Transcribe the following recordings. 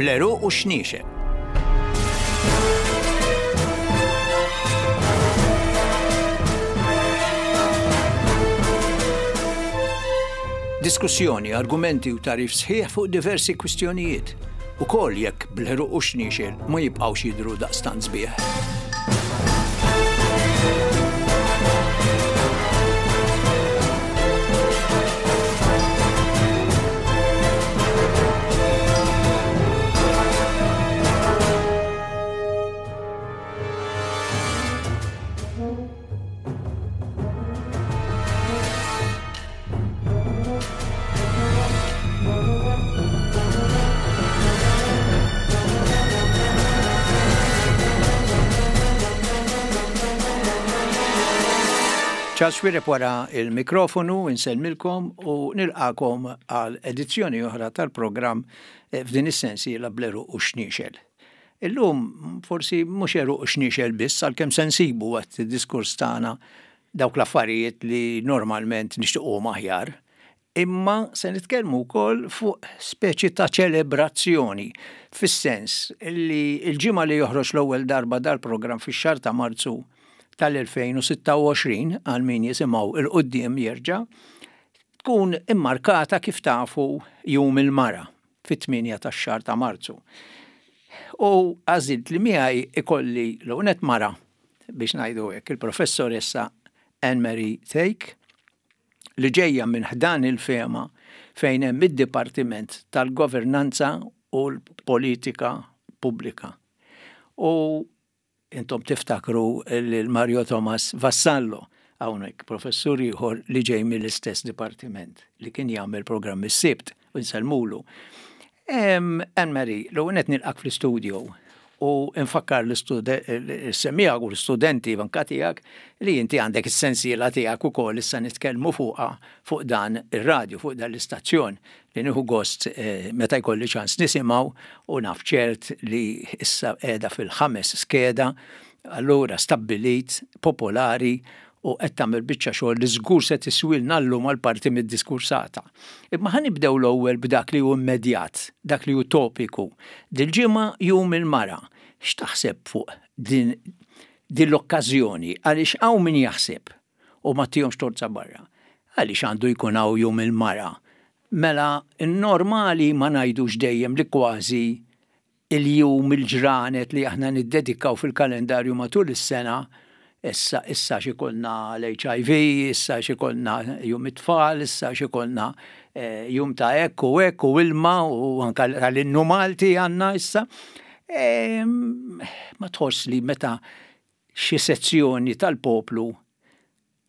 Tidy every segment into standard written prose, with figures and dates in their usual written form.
Bl-għeruq u x-xniexel. Diskussjoni, argumenti u tagħrif sħiħ fuq diversi kwistjonijiet, ukoll jekk bl-għeruq u x-xniexel ma jibqgħux jidhru daqstant sbieħ. Charles Xuereb wara il-mikrofonu, insellmilkom u nilqakom għal edizzjoni oħra tal-programm eh, f'din is-sensiela bl-għeruq u xniexel. Illum forsi mhux għeruq u xniexel biss għalkemm se nsibu waqt id-diskors tagħna dawk l-affarijiet li normalment nixtiequhom aħjar, imma se nitkellmu wkoll fuq speċi ta' ċelebrazzjoni fis-sens li l-ġimgħa li joħroġ l-ewwel darba dal-programm fix-xahar ta' Marzu tal-2026 għal min jisimgħu 'l quddiem jerġa' tkun immarkata kif tafu Jum il-Mara fit-8 tax-xahar ta' Marzu. U għażilt li miegħi ikolli l-ewwel nett mara biex ngħidu hekk, il-Professoressa Anne Marie Thake, li ġejja minn ħdan il-FEMA fejn hemm id-Dipartiment tal-Governanza u l-Politika Pubblika. U Intom tiftakru lil Mario Thomas Vassallo, hawnhekk professur ieħor li ġej mill-istess dipartiment li kien jagħmel programm is-Sibt u nsellmulu. Anne Marie, l-ewwel qed nilqak fl-istudio u nfakkar l-semmiegħa u l-istudenti anka tiegħek li inti għandek is-sensiela tiegħek ukoll issa nitkellmu fuqha fuq dan ir-radju, fuq dan l-istazzjon li nieħu gost meta jkolli ċans nisimgħu u naf ċert li issa qiegħda fil-ħames skeda, allura stabbilit, popolari u qed tagħmel biċċa xogħol li żgur se tiswilna llum għal parti mid-diskursata. Imma ħa nibdew l-ewwel b'dak li hu immedjat, dak li hu topiku. Dil-ġimgħa Jum il-Mara. X'taħseb fuq din din l-okkażjoni għaliex hawn min jaħseb u ma ttihomx torza barra. Għaliex għandu jkun hawn Jum il-Mara? Mela n-normali ma ngħidux dejjem li kważi il-jum, il-ġranet li aħna niddedikaw fil-kalendarju matul is-sena, issa issa x'ikollna l-HIV, issa x'ikollna Jum it-Tfal, issa x'ikollna eh, jum ta' hekk u hekk u ilma u anka tal-innu Malti għandna issa. Ma tħoss li meta xi sezzjoni tal-poplu,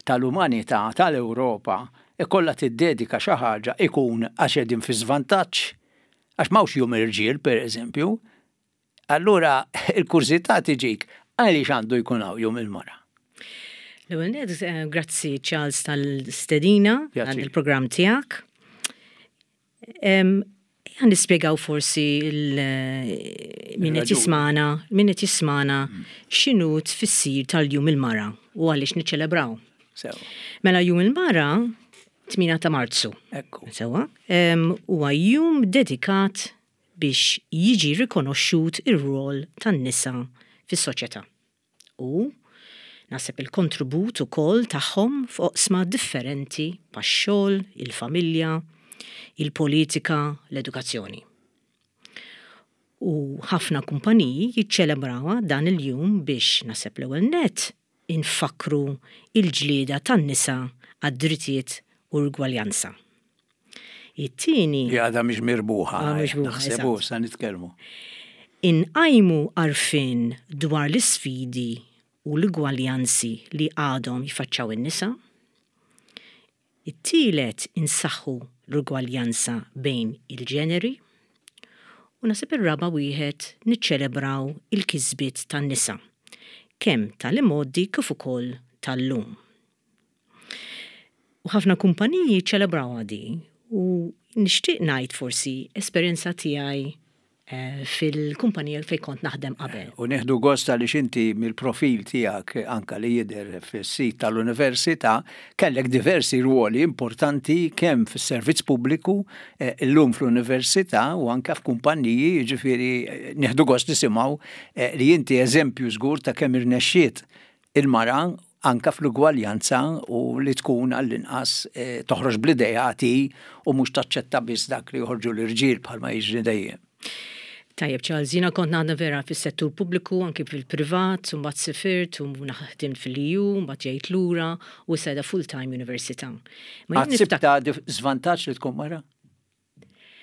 tal-umanità, tal-Ewropa, ikollha tiddedika xi ħaġa ikun għax qegħdin fi żvantaġġ? Għax m'hawnx jum irġiel, pereżempju. Allura il-kurżità tiġik għaliex għandu jkun hawn jum il-mara? L-ewwel nett, eh, grazzi Charles tal-stedina għal il-programm tiegħek. Ejja nispjegaw forsi min qed jismana, min qed jismana mm. x'inhu tfissir tal-Jum il-Mara u għaliex niċċelebraw. Mela Jum il-Mara 8 ta' Marzu. Ekku. Sewa, huwa jum dedikat biex jiġi rikonoxxut ir-rol tan-nisa fis-soċjetà. U naħseb il-kontribut ukoll tagħhom f'oqsma differenti bħax-xogħol, il-familja, il-politika, l-edukazzjoni. U ħafna kumpaniji jiċċelebrawha dan il-jum biex naħseb l-ewwel nett infakkru l-ġlieda tan-nisa għad-drittijiet u l-ugwaljanza. It-tieni. Li għadha mhix mirbuħa. Naħseb u sa nitkellmu. Inqajmu għarfien dwar l-isfidi u l-ugwaljanzi li għadhom jiffaċċjaw in-nisa. It-tielet insaħħu l-ugwaljanza bejn il-ġeneri. U naħseb ir-raba' wieħed niċċelebraw il-kisbiet tan-nisa, kemm tal-imgħoddi kif ukoll tal-lum. U ħafna kumpaniji ċċelebrawha di u nixtieq ngħid forsi esperjenza tiegħi. fil-kumpanija fejn kont naħdem qabel. U nieħdu gost għaliex inti mill-profil tiegħek anka li jidher fis-sit tal-Università kellek diversi rwoli importanti kemm fis-servizz pubbliku, illum fl-Università u anka f'kumpanniji, jiġifieri nieħdu gost nisimgħu li inti eżempju żgur ta' kemm irnexxiet il-mara anka fl-ugwaljanza u li tkun għall-inqas toħroġ bl-ideat hi u mhux taċċetta biss dak li joħorġu l-irġiel bħalma jiġri dejjem. Tajjeb Charles, jiena kont naħdem vera fis-settur pubbliku, anki fil-privat, u mbagħad sifirt u ħdimt fil-EU, mbagħad ġejt lura u issa qiegħda full-time università. Ma jien niftakar. Żvantaġġ li tkun mara?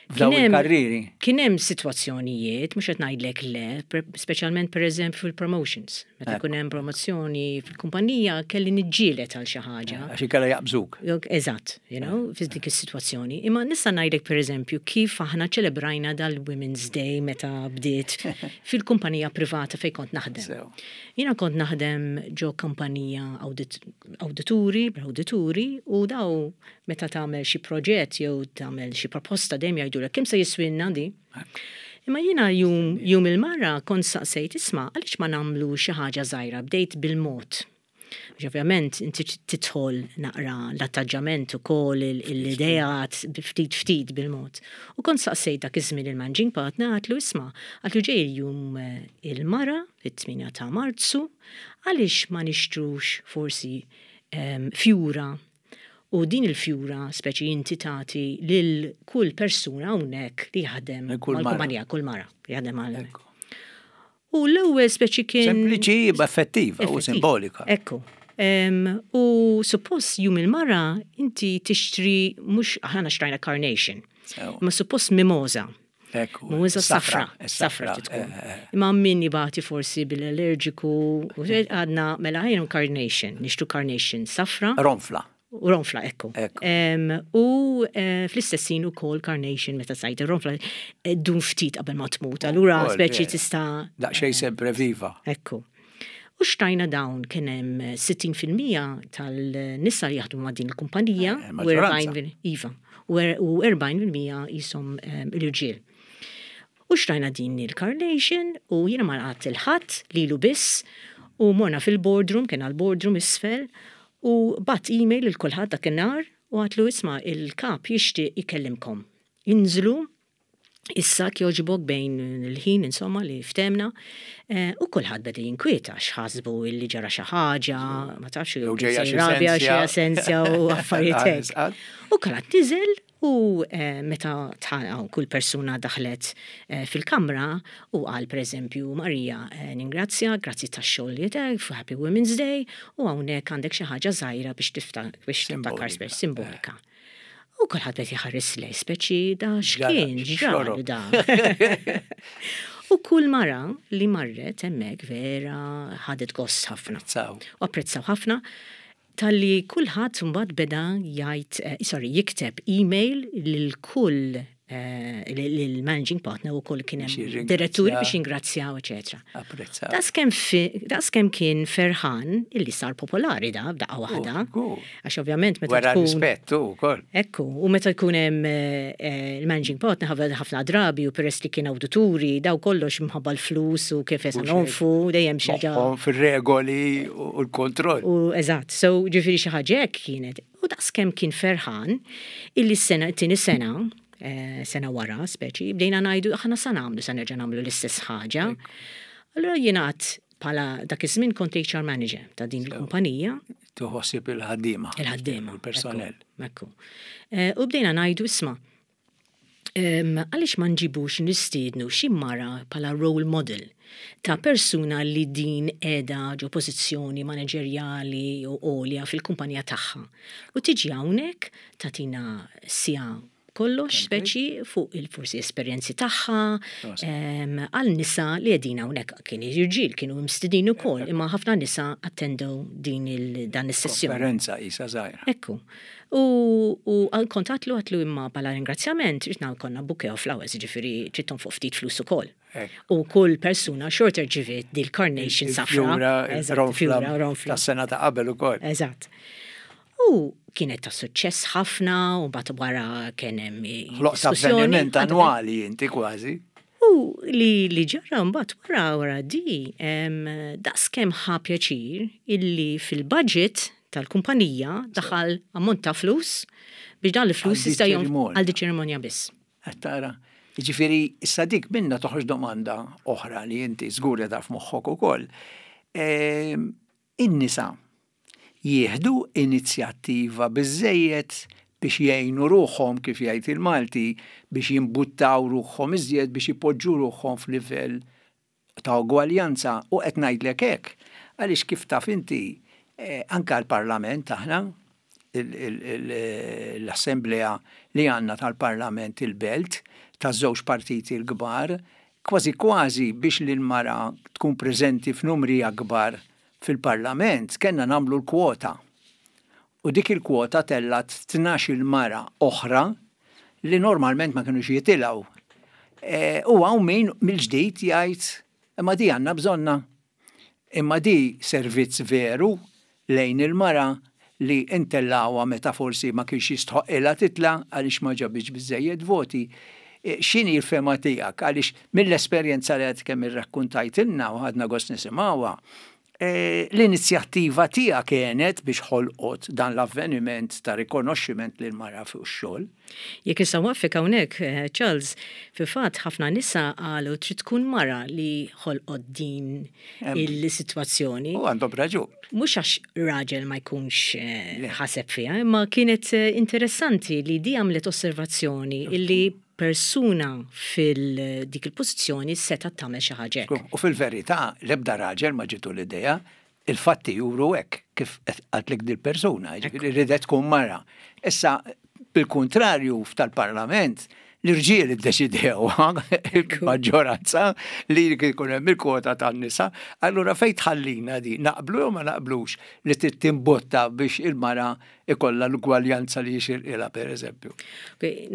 F'dawn il-karrieri. Kien hemm sitwazzjonijiet, mhux qed ngħidlek le, speċjalment pereżempju fil-promotions. Meta jkun hemm promozzjoni fil-kumpanija kelli niġġieled għal xi ħaġa. Għax inkella jaqbżuk. Eżatt, you know, fi dik is-sitwazzjoni. Imma nista' ngħidlek pereżempju kif aħna ċelebrajna dal-Women's Day meta bdiet fil-kumpanija privata fejn kont naħdem. Jiena kont naħdem ġo kumpanija awdituri, awdituri u daw Meta tagħmel xi proġett jew tagħmel xi proposta dejjem jgħidulek kemm se jiswilna di. Imma jiena jum, jum il-mara kont saqsejt isma' għaliex ma nagħmlu xi ħaġa żgħira, bdejt bil-mod. Għax ovvjament inti tidħol naqra l-attaġġament ukoll l-ideat ftit ftit bil-mod. U kont saqsejt dak iż-żmien il-managing partner għatlu isma' għatlu ġej il-jum il-mara fit-8 ta' Marzu għaliex ma nixtrux forsi fjura U din il-fjura speċi inti tagħti lil kull persuna hawnhekk li jaħdem mal-kumpanija, kull mara li jaħdem għal. U l-ewwel speċi kien. Sempliċi effettiva u simbolika. Ekku. U suppost jum il-mara inti tixtri mhux aħna xtrajna carnation. Ma suppost mimosa. Mimosa safra, safra tkun. Eh, eh. Imma min jibati forsi bil-allerġiku, għadna mela ħajnu carnation, nixtru carnation safra. Ronfla. U ronfla, ekku. U eh, fl-istessin u kol carnation meta sajt ronfla dun ftit qabel ma tmut. Allura speċi tista' Daqsxejn sempre viva. Ekku. U xtajna dawn kien hemm 60% tal-nisa li jaħdmu ma' din il-kumpanija u 40 iva, u 40% jisom l-irġiel. U xtrajna din il-carnation u jiena ma laqgħat il-ħadd lilu biss u morna fil-boardroom, kien għall-boardroom isfel, u bat email lil kulħadd dakinhar u għatlu isma' il-kap jixtieq ikellimkom. Inżlu Issa kjoġbok bejn il-ħin insomma li ftehmna eh, u kulħadd beda jinkwieta x'ħasbu illi ġara xi ħaġa, ma tafx jew ġejja xi rabja xi asensja u affarijiet hekk. U kulħadd niżel u eh, meta kull persuna daħlet eh, fil-kamra u qal pereżempju Marija ningrazzja, grazzi tax-xogħol li Happy Women's Day u hawnhekk għandek xi ħaġa żgħira biex tiftakar simbolika. U kulħadd qed jħares lej speċi da x'kien, x'ġralu da. U kull mara li marret hemmhekk vera ħadet gost ħafna. U apprezzaw ħafna talli kulħadd mbagħad beda jgħid, eh, sorry, jikteb email lil kull Eh, l-managing partner u koll kien hemm diretturi biex jingrazzjaw, eċetera. Apprezzaw. Daqskemm kien ferħan illi sar popolari da b'daqqa waħda. Għax ovvjament meta Wara rispettu wkoll. Ekku, u meta jkun hemm eh, eh, il-managing partner ħafna drabi u peress li kien awdituri daw kollox mħabba l-flus u kif se nonfu dejjem xi ħaġa. Fir-regoli u l-kontroll. U eżatt, so ġifieri xi ħaġa hekk kienet. U daqskemm kien ferħan illi s-sena, it-tieni sena, eh, sena wara, speċi, bdejna ngħidu aħna sa nagħmlu sa nerġa' nagħmlu l-istess ħaġa. Allura jiena għad bħala dak iż-żmien kont HR manager ta' din il-kumpanija. Tuħossib il-ħaddiema. Il-ħaddiema. Il-personell. Ekku. Eh, u bdejna ngħidu isma' Għaliex ma nġibux nistiednu xi mara bħala role model ta' persuna li din qiegħda ġo pożizzjoni maneġerjali u għolja fil-kumpanija tagħha u tiġi hawnhekk tagħtina siegħa kollox speċi fuq il-forsi esperjenzi tagħha għal nisa li qegħdin hawnhekk kien irġiel kienu mstidin ukoll imma ħafna nisa attendew din dan is-sessjoni. Konferenza qisha żgħira. Ekku. U u kont għatlu għatlu imma bħala ringrazzjament trid konna bouquet of flowers, jiġifieri trid tonfoq ftit flus ukoll. U kull persuna xorta rċiviet dil-carnation safra. Fjura, ronfla. Tas-sena ta' qabel ukoll. Eżatt. U kienet ta' suċċess ħafna u mbagħad wara kien hemm Ħloqt avveniment annwali inti kważi. U U li li ġara mbagħad wara wara di daqskemm ħa pjaċir illi fil-budget tal-kumpanija daħal ammont ta' flus biex dan il-flus jista' għal di ċerimonja biss. Qed tara? Jiġifieri issa dik minnha toħroġ domanda oħra li inti żgur li taf moħħok ukoll. In-nisa jieħdu inizjattiva biżżejjed biex jgħinu ruħhom, kif jgħid il-Malti, biex jimbuttaw ruħhom iżjed biex ipoġġu ruħhom f'livell ta' ugwaljanza. U qed ngħidlek hekk għaliex kif taf inti anke l-Parlament aħna, l-assemblea li għandna tal-Parlament il-Belt, taż-żewġ partiti l-kbar, kważi kważi biex l-mara tkun preżenti f'numri akbar fil-Parlament kellna nagħmlu l-kwota. U dik il-kwota tellgħet 12-il mara oħra li normalment ma kinux jitilgħu. E, u hawn min mill-ġdid jgħid imma di għandna bżonna. Imma di servizz veru lejn il-mara li ntellgħuha meta forsi ma kienx jistħoqqilha titla' għaliex ma ġabitx biżżejjed voti. X'inhi l-fehma tiegħek? Għaliex mill-esperjenza li għad kemm irrakkuntajtilna u ħadna gost nisimgħuha, l-inizjattiva tiegħek għenet biex ħolqot dan l-avveniment ta' rikonoxximent lill-mara fuq ix-xogħol. Jekk nista' nwaqqfek hawnhekk, Charles, fil-fatt ħafna nisa qalu trid tkun mara li ħolqot din il-sitwazzjoni. U għandhom raġun. Mhux għax raġel ma jkunx ħaseb fiha, imma kienet interessanti li di għamlet osservazzjoni illi persuna fil-dik il-pożizzjoni setgħet tagħmel xi ħaġa hekk. U fil-verità l-ebda raġel ma ġietu l-idea, il-fatti juru hekk kif qaltlek dil-persuna, jiġifieri ridet tkun mara. Issa bil-kuntrarju f'tal-Parlament l-irġiel iddeċidew il-maġġoranza li jkun hemm il-kwota tan-nisa, allura fejn tħallina di naqblu jew ma naqblux li trid timbotta biex il-mara ikollha l-ugwaljanza li jixirqilha pereżempju.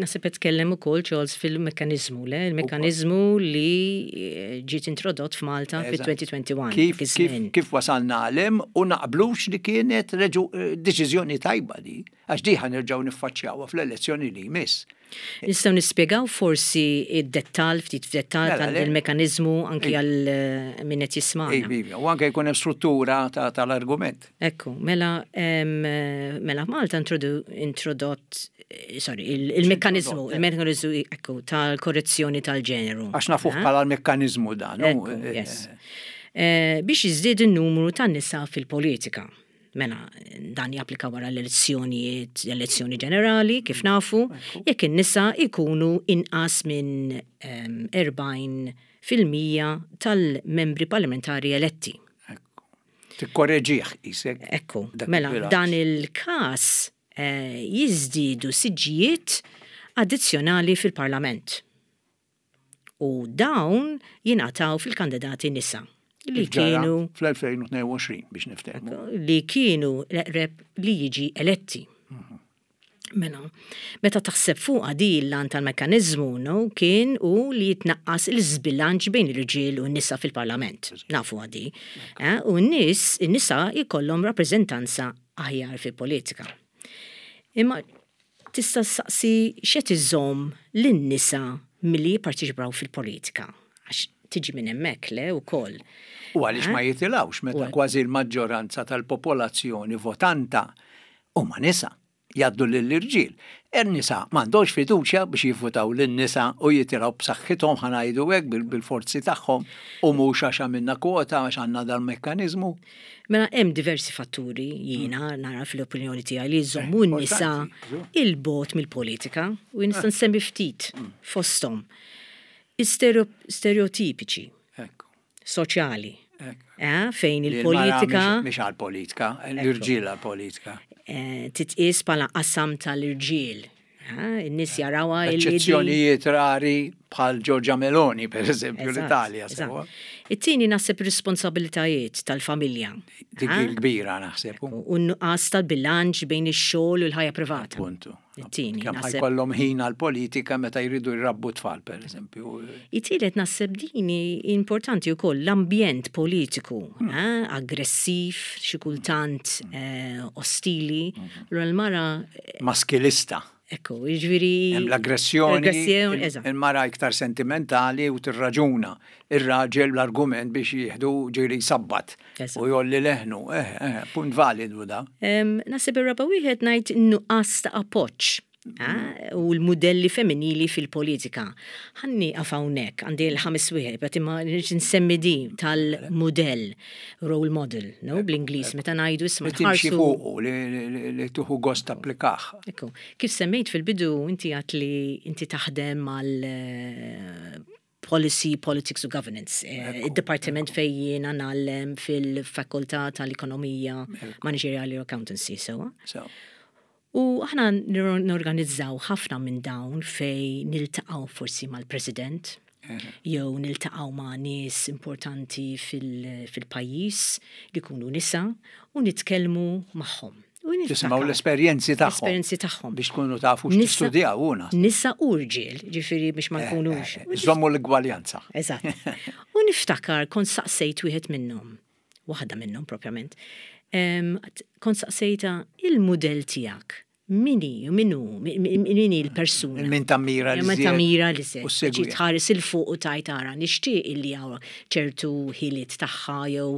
Naħseb qed tkellem ukoll Charles fil-mekkaniżmu, le? Il-mekkaniżmu li eh, ġiet introdott f'Malta fil-2021. Kif, kif, kif wasalna għalem u naqblux li kienet eh, deċiżjoni tajba di, għax di ħanerġgħu niffaċċjawha fl-elezzjoni li jmiss. Nistgħu nispjegaw forsi id-dettall, ftit f'dettall mela, tal-mekanizmu anki għal eh, min qed jisma'na. Iva, iva, u anke jkun hemm struttura tal-argument. Ekku, mela mela Malta introdott eh, sorry, il-mekkanizmu, eh. il-mekkanizmu ekku tal-korrezzjoni tal-ġeneru. Għax nafuh bħala l-mekkanizmu dan. Yes. Biex jiżdied in-numru tan-nisa fil-politika. Mela, dan japplika wara l-elezzjonijiet, l-elezzjoni ġenerali, kif nafu, jekk in-nisa jkunu inqas minn 40 fil-mija tal-membri parlamentari eletti. Tikkoreġih qisek. Ekku, mela dan il-każ eh, jiżdiedu siġġijiet addizzjonali fil-Parlament. U dawn jingħataw fil-kandidati nisa li kienu fl-2022 biex niftehmu. Li kienu l-eqreb li jiġi eletti. Mhm. Mela, meta taħseb fuqha di l-għan tal-mekkaniżmu no, kien u li jitnaqqas il-żbilanċ bejn l-irġiel u n-nisa fil-parlament. Nafu għadi. Eh, u n-nies, in-nisa jkollhom rappreżentanza aħjar fil-politika. Imma Tista' ssaqsi x'qed iżomm lin-nisa milli jipparteċipaw fil-politika? Għax tiġi minn hemmhekk, le, wkoll. U għaliex ma jitilgħux meta kważi l-maġġoranza tal-popolazzjoni votanta huma nisa, jgħaddu lill-irġiel. In-nisa m'għandhomx fiduċja biex jivvutaw lin-nisa u jitilgħu b'saħħithom ħa ngħidu hekk bil-forzi tagħhom u mhux għax għamilna kwota għax għandna dal-mekkaniżmu. Mela hemm diversi fatturi jiena nara fl-opinjoni tiegħi li jżommu eh, n-nisa il-bot mill-politika u nista' nsemmi ftit mm. fosthom. Stereotipiċi soċjali. Eh, fejn il-politika. Mhix għal-politika, l-irġiel għal-politika. Eh, titqies bħala qasam tal-irġiel. In-nies jarawha Eċċezzjonijiet rari bħal Giorgia Meloni, per eżempju, l-Italja. It-tieni naħseb responsabilitajiet tal-familja. Dik il-kbira naħseb. U n-nuqqas tal-bilanċ bejn ix-xogħol u l-ħajja privata. Puntu. It-tieni. Kemm ħajkollhom ħin għall-politika meta jridu jrabbu tfal, per eżempju. It-tielet naħseb din importanti wkoll l-ambjent politiku, hmm. eh, aggressiv, xi kultant hmm. eh, ostili. Hmm. L-mara Maskilista. Ekku, jiġifieri. Hemm l-aggressjoni. Il-mara iktar sentimentali u tirraġuna. Ir-raġel l-argument biex jieħdu ġieli jsabbat u jgħolli leħnu. Eh, eh, punt validu da. Naħseb ir-raba' wieħed ngħid in-nuqqas ta' appoġġ u l-mudelli femminili fil-politika. Ħa nieqaf hawnhekk, għandi l-ħames wieħed, but imma nrid nsemmi di tal-mudell, role model, no, bl-Ingliż, meta ngħidu isma' Li timxi fuqu, li tieħu gost tapplikah. Ekku. Kif semmejt fil-bidu, inti għedt li inti taħdem mal Policy, Politics u Governance, id-dipartiment fejn jiena ngħallem fil-Fakultà tal-Ekonomija Maniġerjali u Accountancy, sewwa? Sew. U aħna norganizzaw ħafna minn dawn fejn niltaqgħu forsi mal-President, jew niltaqgħu ma' nies importanti fil-pajjiż li jkunu nisa u nitkellmu magħhom. Tisimgħu l-esperjenzi tagħhom. L-esperjenzi tagħhom. Biex tkunu tafu x'tistudjaw u naħseb. Nisa u rġiel, ġifieri biex ma nkunux. Żommu l-igwaljanza. Eżatt. U niftakar kont saqsejt wieħed minnhom, waħda minnhom propjament, kont saqsejtha il-mudell tiegħek Min hi, min hu, min hi l-persuna. Il-min tammira li Min tammira li se. Tħares 'il fuq u tgħid ara nixtieq illi hawn ċertu ħiliet tagħha jew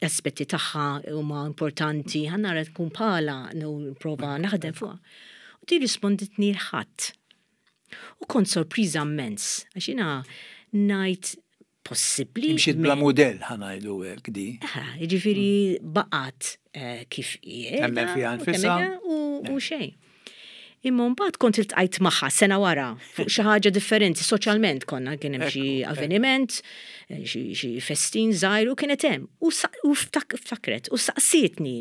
aspetti tagħha huma importanti, ħa nara tkun bħalha nipprova naħdem fuqha. U di rrisponditni l-ħadd. U kont sorpriża immens, għax jiena ngħid possibbli. Imxiet bla mudell ħa ngħidu hekk di. Jiġifieri baqgħet eh, kif hi. Temmen fiha nfisha. U xejn. Imma mbagħad kont iltqajt magħha sena wara fuq xi ħaġa differenti soċjalment konna kien hemm xi avveniment, eh, xi festin żgħir u kienet hemm. U ftakret u saqsietni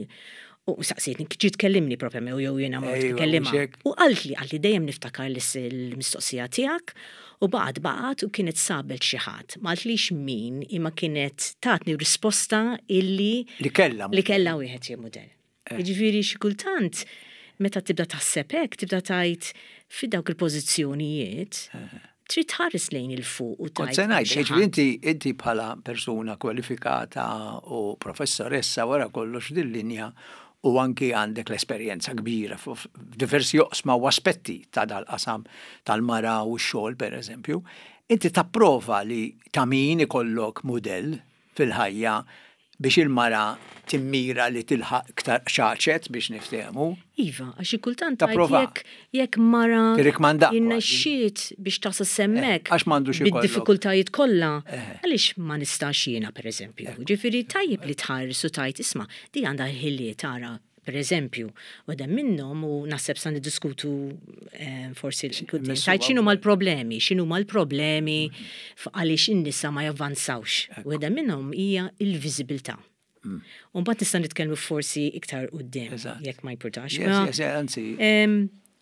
U saqsietni, ġiet tkellimni propja jew jiena mort nkellimha. U qaltli, qaltli dejjem niftakar l-mistoqsija tiegħek u baqgħet baqgħet u kienet sabet xi ħadd. Ma qaltlix min imma kienet tatni risposta illi Li kellha Li kellha wieħed jew mudell. Jiġifieri xi kultant meta tibda taħseb hekk tibda tgħid fi dawk il-pożizzjonijiet trid tħares lejn 'il fuq u tgħid. Kont se ngħid, jiġifieri inti inti bħala persuna kwalifikata u professoressa wara kollox f'din linja u anki għandek l-esperjenza kbira f'diversi oqsma u aspetti ta' dal-qasam tal-mara u x-xogħol pereżempju, inti tapprova li ta' min ikollok mudell fil-ħajja biex il-mara timmira li tilħaq iktar qċaċet biex niftehmu. Iva, għax xi kultant tgħid jekk jekk mara irnexxiet biex tasal s'hemmhekk Għax m'għandux ikollok. bid-diffikultajiet kollha, għaliex ma nistax jiena pereżempju. Ġifieri tajjeb li tħares u tgħid isma' di għandha l-ħiliet ara Per eżempju, waħda minnhom u naħseb sa niddiskutu eh, forsi l-quddiem, tajt x'inhuma l-problemi, x'inhuma l-problemi għaliex in-nisa ma javvanzawx. Waħda minnhom hija il-viżibilità. Mm. U mbagħad nista' nitkellmu forsi iktar quddiem jekk ma jimpurtax.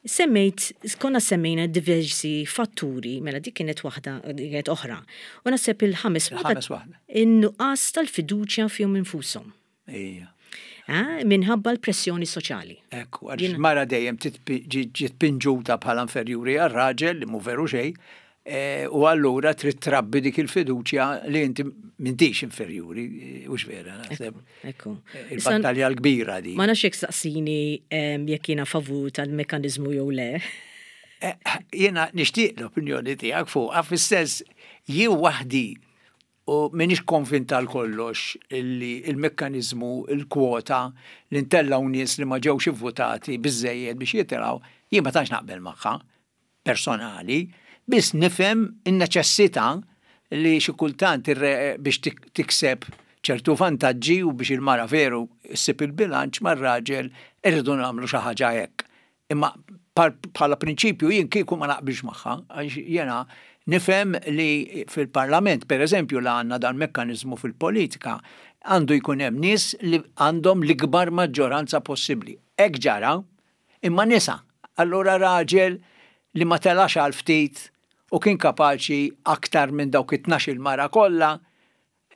Semmejt, konna semmejna diversi fatturi, mela dik kienet waħda, kienet oħra. U naħseb il-ħames waħda. In-nuqqas tal-fiduċja fihom infushom. Ija. Minħabba l-pressjoni soċjali. Ekku, għax mara dejjem ġiet pinġuta bħala inferjuri għar-raġel li mhu veru xejn, e, u allura trid trabbi dik il-fiduċja li inti m'intix inferjuri, hux vera, naħseb. Ekku. E, il-battalja l-kbira di. Ma nafx jekk saqsini jekk jiena favur tal-mekkaniżmu jew le. E, jiena nixtieq l-opinjoni tiegħek fuqha fis-sens jien waħdi U m'iniex konvint għal kollox li l-mekkaniżmu, il-kwota, li ntellgħu nies li ma ġewx ivvutati biżżejjed biex jitilgħu, jien ma tantx naqbel magħha, personali, biss nifhem in-neċessità li xi kultant biex tikseb ċertu vantaġġi u biex il-mara veru ssib il-bilanċ mar-raġel irridu nagħmlu xi ħaġa hekk. Imma bħala prinċipju jien kieku ma naqbilx magħha, għax jiena nifhem li fil-Parlament, per eżempju, la għandna dan mekkaniżmu fil-politika, għandu jkun hemm nies li għandhom l-ikbar maġġoranza possibbli. Hekk ġara, imma nisa. Allura raġel li ma telax għal ftit u kien kapaċi aktar minn dawk it-tnax-il mara kollha,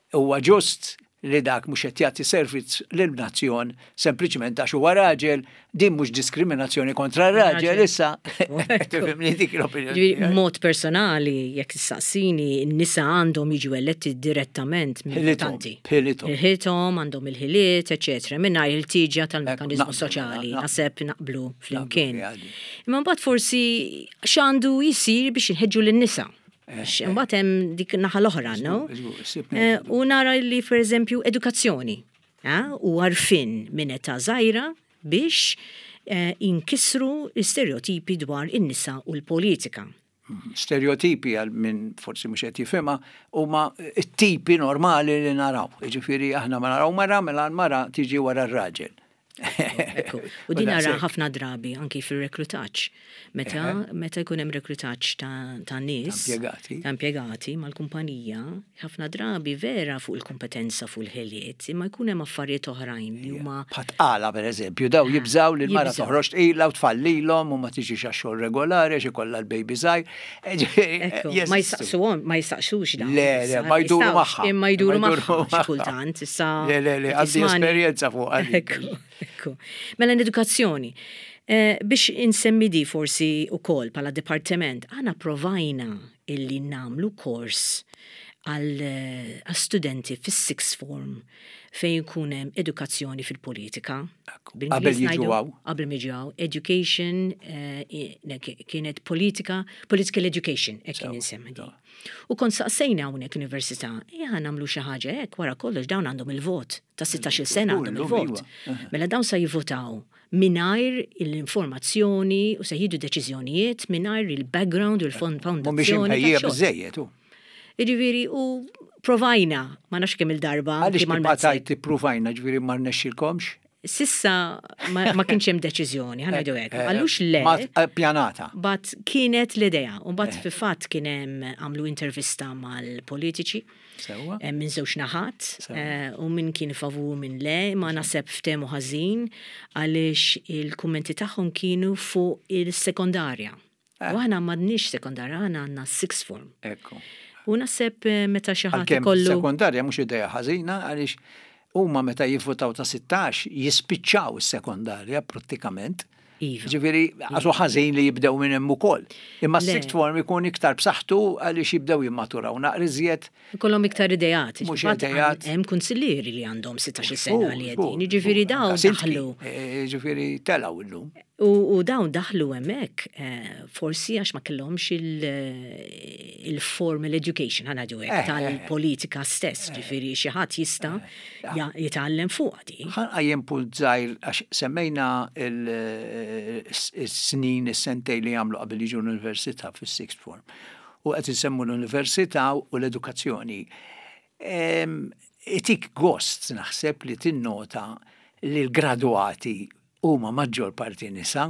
Huwa ġust? li dak mhux qed jagħti servizz lin-nazzjon sempliċement għax huwa raġel, din mhux diskriminazzjoni kontra r-raġel issa. Tifhimni dik l-opinjoni. Mod personali, jekk tistaqsini, n-nisa għandhom jiġu eletti direttament mill-votanti. B'ħilithom. B'ħilithom, għandhom il-ħiliet, eċetera, mingħajr il-ħtieġa tal-mekkaniżmu soċjali. Naħseb naqblu flimkien. Imma mbagħad forsi x'għandu jsir biex inħeġġu lin-nisa? Għax imbagħad hemm dik naħa l-oħra, no? U nara li pereżempju edukazzjoni u għarfien minn età żgħira biex inkissru l-istereotipi dwar in-nisa u l-politika. Stereotipi għal min forsi mhux qed jifhimha huma t-tipi normali li naraw. Jiġifieri aħna ma naraw mara mela l-mara tiġi wara r-raġel. U din nara ħafna drabi anki fir-reklutaġġ. Meta meta jkun hemm reklutaġġ ta' nies. Ta' impjegati mal-kumpanija, ħafna drabi vera fuq il-kompetenza fuq il-ħiliet, imma jkun hemm affarijiet oħrajn li huma. Bħat-tqala pereżempju, daw jibżgħu li l-mara toħroġ tqila u tfallilhom u ma tiġix għax-xogħol regolari għax ikollha l-baby żgħir. Ma jistaqsuhom, ma jistaqsux dawn. Le, le, ma jduru magħha. Imma jduru magħha xi kultant, issa. Le, le, le, għandi esperjenza fuq. Ekku, ekku. Mela l-edukazzjoni. Eh, biex insemmi di forsi ukoll bħala dipartiment, aħna provajna illi namlu kors għal eh, studenti fis-sixth form fejn ikun hemm edukazzjoni fil-politika. Qabel jiġu hawn. Qabel jiġu hawn. Education eh, kienet politika, political education, hekk kien insemmi di. U kont saqsejna hawnhekk università, ejja nagħmlu xi ħaġa hekk wara kollox dawn għandhom il-vot ta' 16-il sena għandhom il-vot. Iva. Mela dawn sa jivvotaw mingħajr l-informazzjoni u se jieħdu deċiżjonijiet mingħajr il-background u l-fondazzjoni. Mhumiex imħejjija biżejjed. Jiġifieri u provajna, ma nafx kemm il-darba. Għaliex ma tajt ippruvajna, ġifieri ma rnexxilkomx? Sissa ma kienx hemm deċiżjoni, ħa ngħidu hekk. Għalux le. Ma eh, pjanata. But kienet l-idea. U mbagħad eh. fil-fatt kien hemm għamlu intervista mal-politiċi. Sewwa. Eh, minn żewġ naħat u minn kien favur minn le, ma naħseb ftehmu ħażin għaliex il-kummenti tagħhom kienu fuq il-sekondarja. U aħna m'għandniex sekondarja, aħna għandna sixth form. Ekku. U naħseb eh, meta xi ħadd ikollu. Sekondarja mhux idea ħażina għaliex huma meta jivvutaw ta' 16 jispiċċaw is-sekondarja prattikament. Iva. Ġifieri għasu ħażin li jibdew minn hemm ukoll. Imma s-sixth form ikun iktar b'saħħtu għaliex jibdew jimmaturaw naqra iżjed. Ikollhom iktar ideat. Mhux ideat. Hemm kunsillieri li għandhom 16 sena li qegħdin. Jiġifieri dawn daħlu. Eh, ġifieri telgħu illum. U dawn daħlu hemmhekk forsi għax ma kellhomx il-formal education, ħa ngħidu hekk, tal-politika stess, ġifieri xi ħadd jista' jitgħallem fuqha di. Ħa nqajjem punt żgħir għax semmejna s-snin, is-sentejn li jagħmlu qabel jiġu l-università fis-sixth form. U qed insemmu l-università u l-edukazzjoni. Itik gost naħseb li tinnota li l-gradwati huma maġġor parti nisa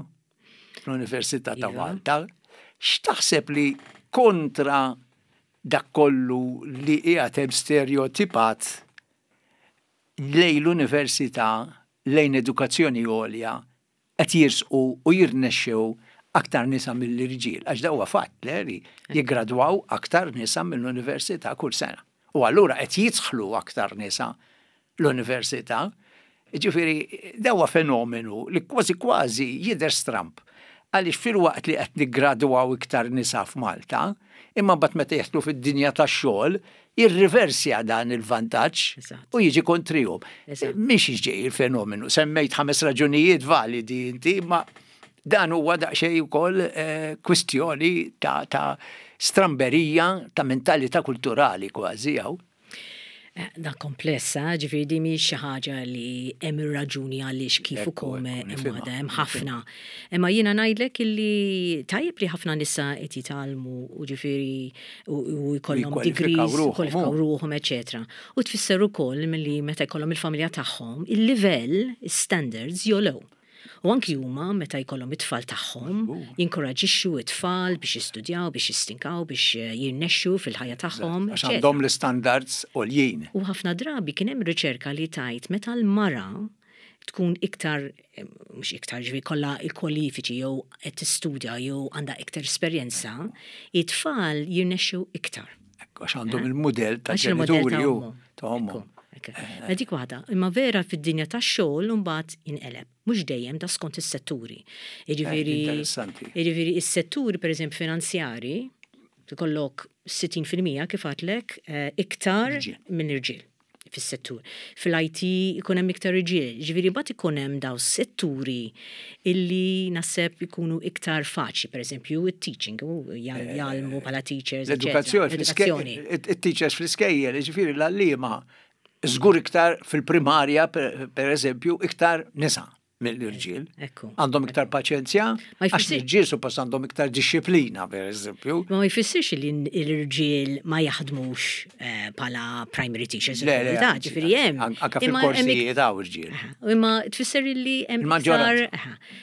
fl-Università ta' iva. Malta. X'taħseb li kontra dak kollu li qiegħed hemm stereotipat lejn l-università, lejn edukazzjoni għolja, qed jirsqu u jirnexxew aktar nisa mill-irġiel, għax da huwa fatt le li jiggradwaw aktar nisa mill-università kull sena. U allura qed jidħlu aktar nisa l-università. Jiġifieri dan huwa fenomenu li kważi kważi jidher stramb għaliex filwaqt li qed niggradwaw iktar nisa f'Malta, imma mbagħad meta jidħlu fid-dinja tax-xogħol jirriversja dan il-vantaġġ u jiġi kontrihom. Mhix ġej il-fenomenu, semmejt ħames raġunijiet validi inti, imma dan huwa daqsxejn ukoll eh, kwistjoni ta', ta stramberija ta' mentalità kulturali kważi hawn. Eh, da komplessa, ġifieri di mhix xi ħaġa li hemm ir-raġuni għaliex kif u kome hemm waħda hemm ħafna. Imma jiena ngħidlek illi tajjeb li ħafna nisa qed jitgħallmu u ġifieri u jkollhom degrees, kwalifikaw ruħhom, eċetera. U tfisser ukoll milli meta jkollhom il-familja tagħhom, il-livell, is-standards jogħlew. U anki huma meta jkollhom it-tfal tagħhom, jinkoraġixxu t-tfal biex jistudjaw, biex jistinkaw, biex eh, jirnexxu fil-ħajja tagħhom. Għax għandhom l-istandards għoljin. U ħafna drabi kien hemm riċerka li tajt meta l-mara tkun iktar, eh, mhux iktar ġifieri kollha il-kwalifiċi jew qed tistudja jew għandha iktar esperjenza, it-tfal jirnexxu iktar. Għax għandhom eh? il-mudell ta' ġenituri u ta' ommhom. Mela dik waħda. Imma vera fid-dinja tax-xogħol imbagħad jinqeleb. Mhux dejjem da skont is-setturi. Jiġifieri Interessanti. Jiġifieri is-setturi pereżempju finanzjari ikollok 60% kif għadlek iktar minn irġiel fis-settur. Fil-IT ikun hemm iktar irġiel. Ġifieri mbagħad ikun hemm daw setturi illi naħseb ikunu iktar faċli, pereżempju it-teaching, jgħallmu bħala teachers. L-edukazzjoni, it-teachers fl-iskejjel, ġifieri l-għalliema żgur iktar fil-primarja, pereżempju, iktar nisa mill-irġiel. Għandhom iktar paċenzja, għax l-irġiel suppost għandhom iktar dixxiplina, per eżempju. Ma jfissirx li l-irġiel ma jaħdmux eh, bħala primary teachers. Le, le, ġifieri hemm. Anka fil-korsijiet hawn irġiel. Imma tfisser li hemm iktar.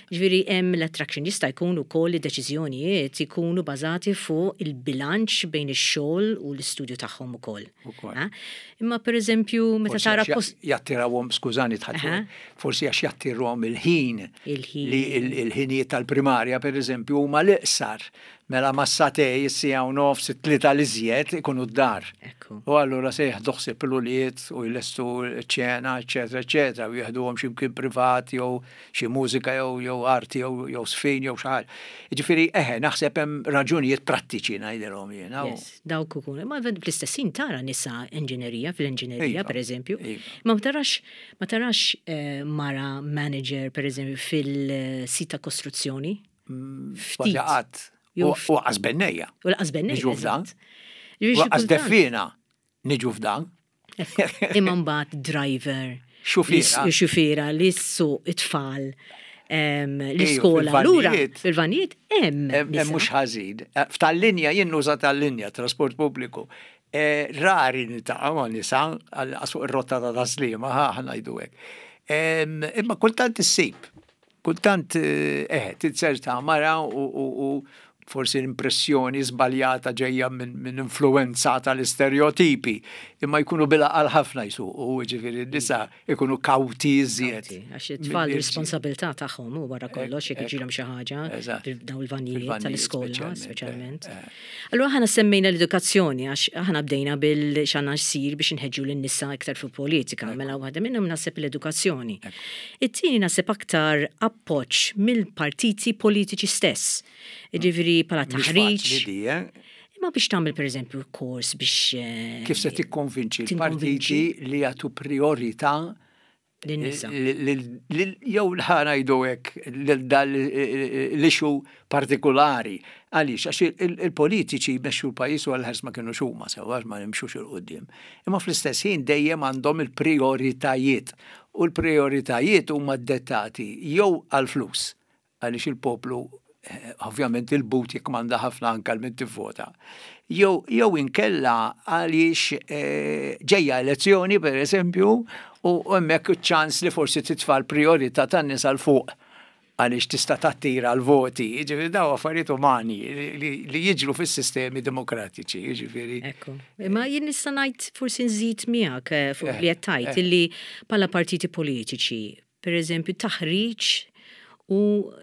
Ġifieri hemm l-attraction jista' jkun ukoll id-deċiżjonijiet ikunu bażati fuq il-bilanċ bejn ix-xogħol u l-istudju tagħhom ukoll. Imma per eżempju, meta tara post. Jattirawhom, skużani tħadd, forsi għax jattirhom il-ħin. Il-ħin. Li il-ħinijiet tal-primarja, per eżempju, huma l-iqsar. Mela mas-satej, is-siegħa u nofs, it-tlieta l-iżjed ikunu d-dar. U allura se jieħdu ħsieb l-ulied u jlestu ċ-ċena, eċetera, eċetera, u jieħduhom xi mkien privat jew xi mużika jew jew arti jew jew żfin jew xi ħaġa. Jiġifieri eħe, naħseb hemm raġunijiet prattiċi ngħidilhom jiena. Yes. Dawk ukoll. Ma fl-istess ħin tara nisa enġinerija, fl-enġinerija iva, pereżempju. Iva. Ma tarax ma tarax eh, mara manager pereżempju fil-sit ta' kostruzzjoni. Mm, ftit. Qatt. U qas bennejja. U laqas bennejja. Niġu f'dan. U qas deffina. Niġu f'dan. Imma mbagħad driver. Xufiera. Xufiera li ssuq it-tfal l-iskola. Allura, fil-vanijiet hemm. Hemm mhux ħażin. Eh, f'tal-linja jien nuża tal-linja trasport pubbliku. Eh, rari niltaqa' ma' nisa għal fuq ir-rotta ta' taslima, ħa ngħidu hekk. Imma kultant issib. Kultant, eh, tinzerta mara u forsi l-impressjoni żbaljata ġejja minn influwenza tal-istereotipi, imma jkunu bil-għaqal ħafna jsuqu, jiġifieri n-nisa jkunu kawti iżjed. Għax it-tfal responsabilità tagħhom u wara kollox jekk jiġrilhom xi ħaġa dawn il-vannijiet tal-iskola speċjalment. Allura aħna semmejna l-edukazzjoni għax aħna bdejna bil x'għandna jsir biex inħeġġu lin-nisa iktar fil-politika, mela waħda minnhom naħseb l-edukazzjoni. It-tieni naħseb aktar appoġġ mill-partiti politiċi stess. Jiġifieri bħala taħriġ. Eh? Imma biex tagħmel pereżempju kors biex. Eh, Kif se tikkonvinċi l-partiti li jagħtu priorità lin-nisa. Jew ħa ngħidu hekk lil dan l-issue partikulari. Għaliex, għax il-politiċi jmexxu l-pajjiż u għall-ħars ma kinux huma sewwa għax ma nimxux 'il quddiem. Imma fl-istess ħin dejjem għandhom il-prijoritajiet u l-prijoritajiet huma ddettati jew għall-flus għaliex il-poplu ovvjament il-but jikkmanda ħafna anke għal min tivvota. Jew jew inkella għaliex eh, ġejja elezzjoni per eżempju u hemmhekk iċ-ċans li forsi titfa' l-prijorità tan-nies għal fuq għaliex tista' tattira l-voti, jiġifieri daw affarijiet umani li jiġru fis-sistemi demokratiċi, jiġifieri. Ekku. Imma jien nista' ngħid forsi nżid miegħek eh, fuq eh, li qed tgħid illi bħala partiti politiċi Per eżempju, taħriġ u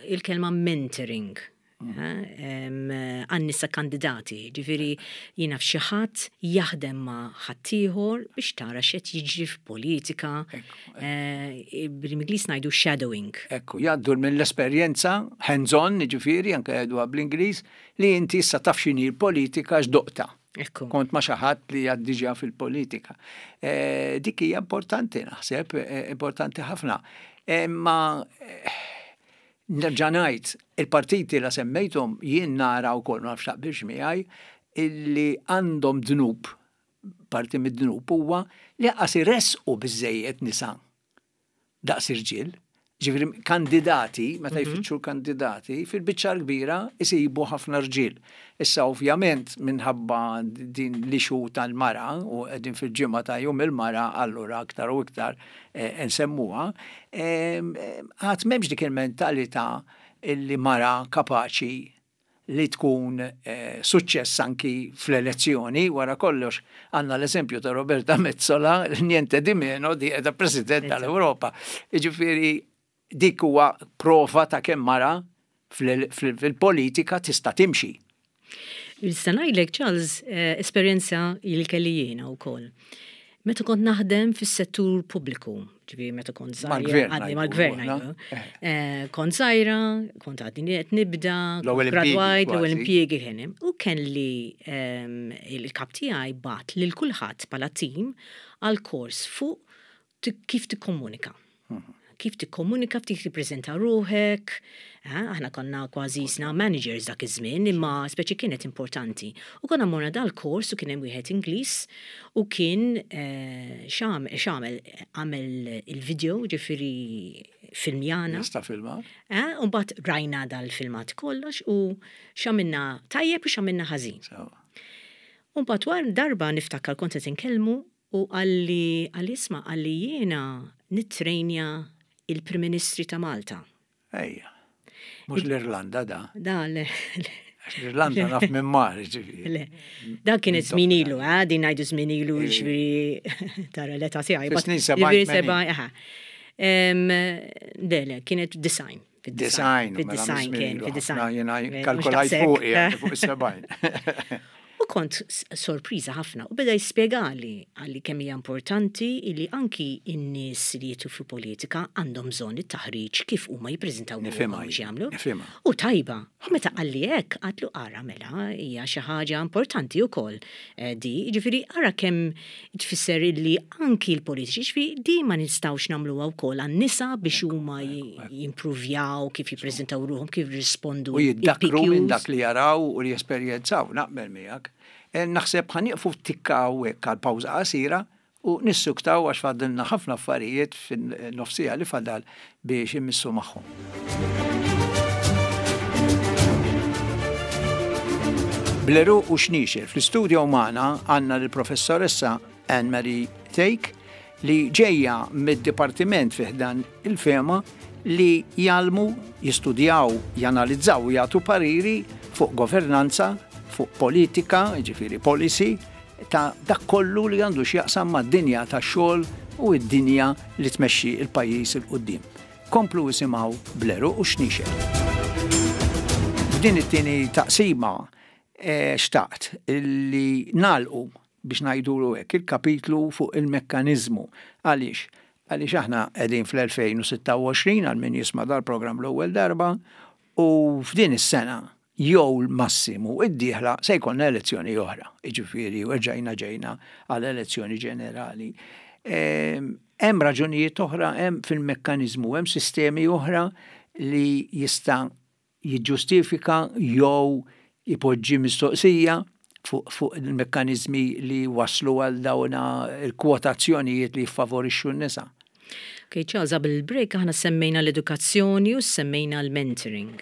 il-kelma mentoring mm. għan-nisa kandidati. Ġifieri jiena f'xi ħadd jaħdem ma' ħaddieħor biex tara x'qed jiġri f'politika. Eh, Bl-Ingliż ngħidu shadowing. Ekku, jgħaddu mill-esperjenza hands-on, ġifieri anke jgħiduha bl-Ingliż, li inti issa taf x'inhi l-politika x'doqta. Ekku. Kont ma xi ħadd li għad diġà fil-politika. Eh, dik hija importanti naħseb, eh, importanti ħafna. Imma eh, nerġa' ngħid, il-partiti la semmejthom jien nara wkoll ma nafx taqbilx miegħi illi għandhom dnub, parti mid-dnub huwa li qas iressqu biżejjed nisa daqs irġiel. Ġifieri kandidati, meta mhm. jfittxu l-kandidati, fil-biċċa l-kbira isibu ħafna rġiel. Issa ovvjament minħabba din l-ixu tal-mara u qegħdin fil-ġimgħa ta' jum il-mara allura aktar u iktar eh, nsemmuha, għad m'hemmx dik il-mentalità illi mara kapaċi li tkun suċċess anki fl-elezzjoni, wara kollox għandna l-eżempju ta' Roberta Metsola, niente di meno di qiegħda President tal-Ewropa. Jiġifieri dik huwa prova ta' kemm mara fil-politika tista' timxi. Nista' ngħidlek Charles, eh, esperjenza li kelli jiena wkoll. Meta kont naħdem fis-settur pubbliku, ġifieri meta kont żgħira, għadni mal-gvern ngħidu. Eh, kont żgħira, kont għadni qed nibda, gradwajt, l-ewwel impjiegi kien hemm. U kelli ehm, il-kap tiegħi bat lil kulħadd bħala tim għal kors fuq kif tikkomunika. Kif tikkomunika, kif tippreżenta ruħek. Eh, aħna konna kważi jisna managers dak iż-żmien, imma speċi kienet importanti. U konna morna dal-kors u kien hemm wieħed Ingliż u kien eh, x'għamel għamel il-video ġifieri filmjana. Nista' filma. Eh, u mbagħad rajna dal-filmat kollox u x'għamilna tajjeb u x'għamilna ħażin. U mbagħad wara darba niftakar kont qed inkellmu U qalli, qalli isma' qalli jiena nittrejnja il-Prim Ministri ta' Malta. Ejja. Mhux l-Irlanda da. Da le. Għax l-Irlanda naf minn mar, ġifieri. Le. Da kienet żmien ilu, eh, din ngħidu żmien ilu ġifieri tara l-età tiegħi. Snin 70. Aha. Le, le, kienet design. Fid-design. Fid-design kien, fid-design. Jiena kalkulajt fuq, fuq is-70. U kont sorpriża ħafna u beda jispjegali għalli kemm hija importanti li anki n-nies li jidħlu fil-politika għandhom bżonn it-taħriġ kif huma jippreżentaw ruħhom u x'jagħmlu. U tajba. U meta qalli hekk għadtlu ara mela hija xi ħaġa importanti wkoll di. Jiġifieri ara kemm Tfisser illi anki l-politiċi, jiġifieri di ma nistgħux nagħmluha wkoll għan-nisa biex huma jimpruvjaw kif jippreżentaw ruħhom, kif jirrispondu. U jiddakkru minn dak li jaraw u li jesperjenzaw, naqbel miegħek. Naħseb ħa nieqfu tikka hawnhekk għal pawża qasira u nissuktaw għax fadlilna ħafna affarijiet fin-nofs siegħa li fadal biex immissu magħhom. Bl-għeruq u xniexel, fl-istudio magħna għandna lill-Professoressa Anne Marie Thake li ġejja mid-dipartiment fi ħdan il-FEMA li jgħallmu, jistudjaw, janalizzaw u jagħtu pariri fuq governanza, fuq politika, jiġifieri policy, ta' dak kollu li għandu x'jaqsam mad-dinja tax-xogħol u d-dinja li tmexxi l-pajjiż 'il quddiem. Komplu isimgħu bl-għeruq u x-xniexel. F'din it-tieni taqsima xtaqt li nagħlqu, biex ngħidulu hekk, il-kapitlu fuq il-mekkaniżmu. Għaliex? Għaliex aħna qegħdin fl-2026 għal min jisma' dal-programm l-ewwel darba u f'din is-sena jew l-massimu d-dieħla se jkollna elezzjoni oħra, jiġifieri erġajna ġejna għal elezzjoni ġenerali. Ehm, hemm raġunijiet oħra, hemm fil-mekkaniżmu, hemm sistemi oħra li jista' jiġġustifika jew ipoġġi mistoqsija fuq, fuq il-mekkaniżmi li waslu għal dawna il-kwotazzjonijiet li jiffavorixxu n-nisa. Ok, Charles, qabel il-break aħna semmejna l-edukazzjoni u semmejna l-mentoring.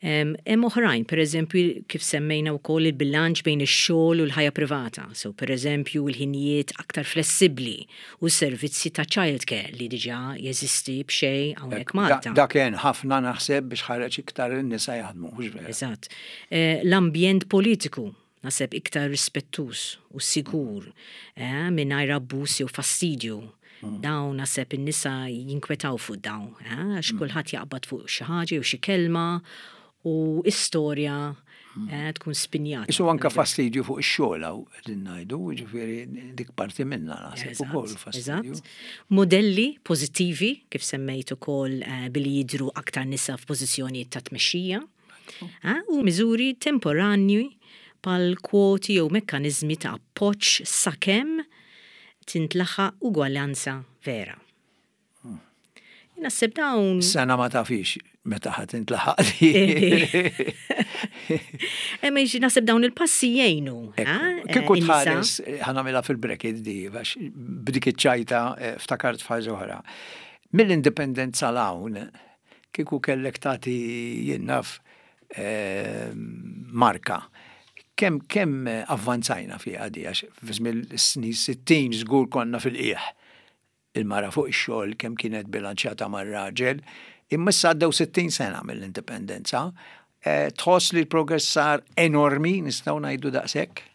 Hemm oħrajn, per eżempju, kif semmejna wkoll il-bilanċ bejn ix-xogħol u l-ħajja privata. So, per eżempju, il-ħinijiet aktar flessibbli u servizzi ta' childcare li diġà jeżisti b'xejn hawnhekk Malta. Dak għen ħafna naħseb biex ħareġ iktar in-nisa jaħdmu, hux vera? Eżatt. Eh, l-ambjent politiku naħseb iktar rispettuż u sigur, eh, mingħajr abbuż jew fastidju. Dawn naħseb in-nisa jinkwetaw fuq dawn, eh, għax kulħadd jaqbad fuq xi ħaġa jew xi kelma u istorja eh, tkun spinjata. Isu anka fastidju fuq ix-xogħol hawn qegħdin ngħidu, jiġifieri dik parti minnha naħseb ukoll fastidju. Modelli pożittivi kif semmejt ukoll eh, billi jidhru aktar nisa f'pożizzjonijiet ta' tmexxija. U miżuri temporanji bħal kwoti jew mekkaniżmi ta' appoġġ sakemm tintlaħaq ugwaljanza vera. Naħseb dawn. Sena ma tafix meta ħa tintlaħaq. Emma naħseb dawn il-passi jgħinu. Kieku tħares, ħanamilha fil-bracket di, għax b'dik iċ-ċajta eh, ftakart f'ħaġa oħra. Mill-indipendenza l-hawn, Kieku kellek tagħti jien naf marka, kemm kemm avvanzajna fiha di għax fi żmien is-snin 60 żgur konna fil-qiegħ. Il-mara fuq ix-xogħol kemm kienet bilanċjata mar-raġel, imma issa għaddew 60 sena mill-indipendenza. Tħoss li l-progress sar enormi, nistgħu ngħidu daqshekk?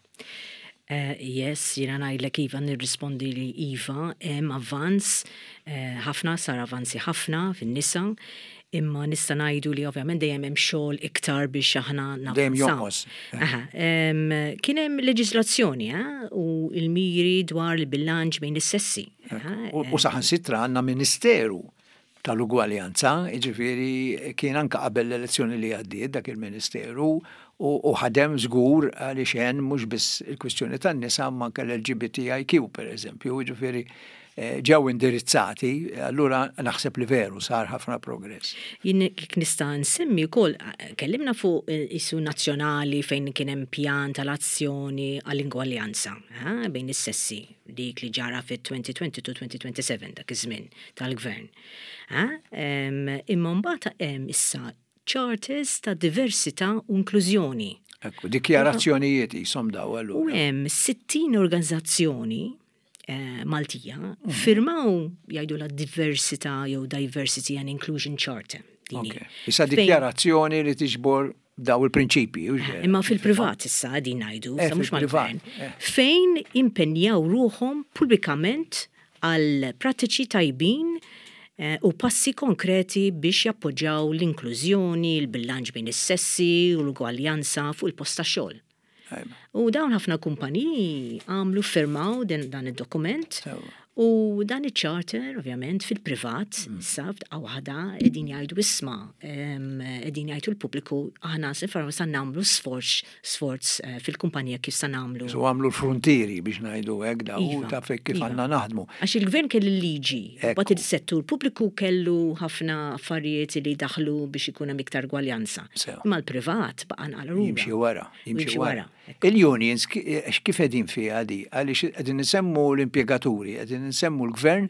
Yes, jiena ngħidlek iva, nirrispondi li iva, hemm avvanz, ħafna, sar avanzi ħafna fin-nisa. Imma nista' ngħidu li ovvjament dejjem hemm xogħol iktar biex aħna navvanzaw. Dejjem jonqos. Aha, kien hemm leġiżlazzjoni u l-miri dwar il-bilanċ bejn is-sessi. U saħansitra għandna ministeru tal-ugwaljanza, jiġifieri kien anke qabel l-elezzjoni li għaddiet dak il-ministeru u ħadem żgur għaliex għen mhux biss il-kwistjoni tan-nisa imma anke l-LGBTIQ pereżempju, jiġifieri ġew indirizzati, allura naħseb li veru sar ħafna progress. Jien jekk nista' nsemmi wkoll, kellimna fuq isu nazzjonali fejn kien hemm pjan tal-azzjoni għall-ingwaljanza bejn is-sessi, dik li ġara fit-2022-2027 dak iż-żmien tal-gvern. Imma mbagħad hemm issa charters ta' diversità u inklużjoni. Ekku, dikjarazzjonijiet qishom daw allura. U hemm 60 organizzazzjoni Maltija firmaw jgħidulha diversità jew Diversity and Inclusion Charter. Issa dikjarazzjoni li tiġbor daw il-prinċipji. Imma fil-privat issa qegħdin ngħidu, issa mhux mal-gvern. Fejn impenjaw ruħhom pubblikament għal prattiċi tajbin u passi konkreti biex jappoġġaw l-inklużjoni, il-bilanċ bejn is-sessi u l-ugwaljanza fuq il-post tax-xogħol. U dawn ħafna kumpaniji għamlu firmaw dan id-dokument u dan iċ-charter ovvjament fil-privat issa f'daqqa waħda qegħdin jgħidu isma' qegħdin jgħidu l-pubbliku aħna se sa nagħmlu sforz sforz eh, fil-kumpanija kif sa nagħmlu. So għamlu l-frontieri biex ngħidu hekk daw iva, ta' kif iva. għandna naħdmu. Għax il-gvern kellu liġi, bat il-settur pubbliku kellu ħafna affarijiet li daħlu biex ikun hemm iktar gwaljanza. Imma l-privat baqa' nqala Jimxi wara. Jimxi wara. Il-unions kif qegħdin fiha di? Għaliex qegħdin insemmu l-impjegaturi, qegħdin insemmu l-gvern,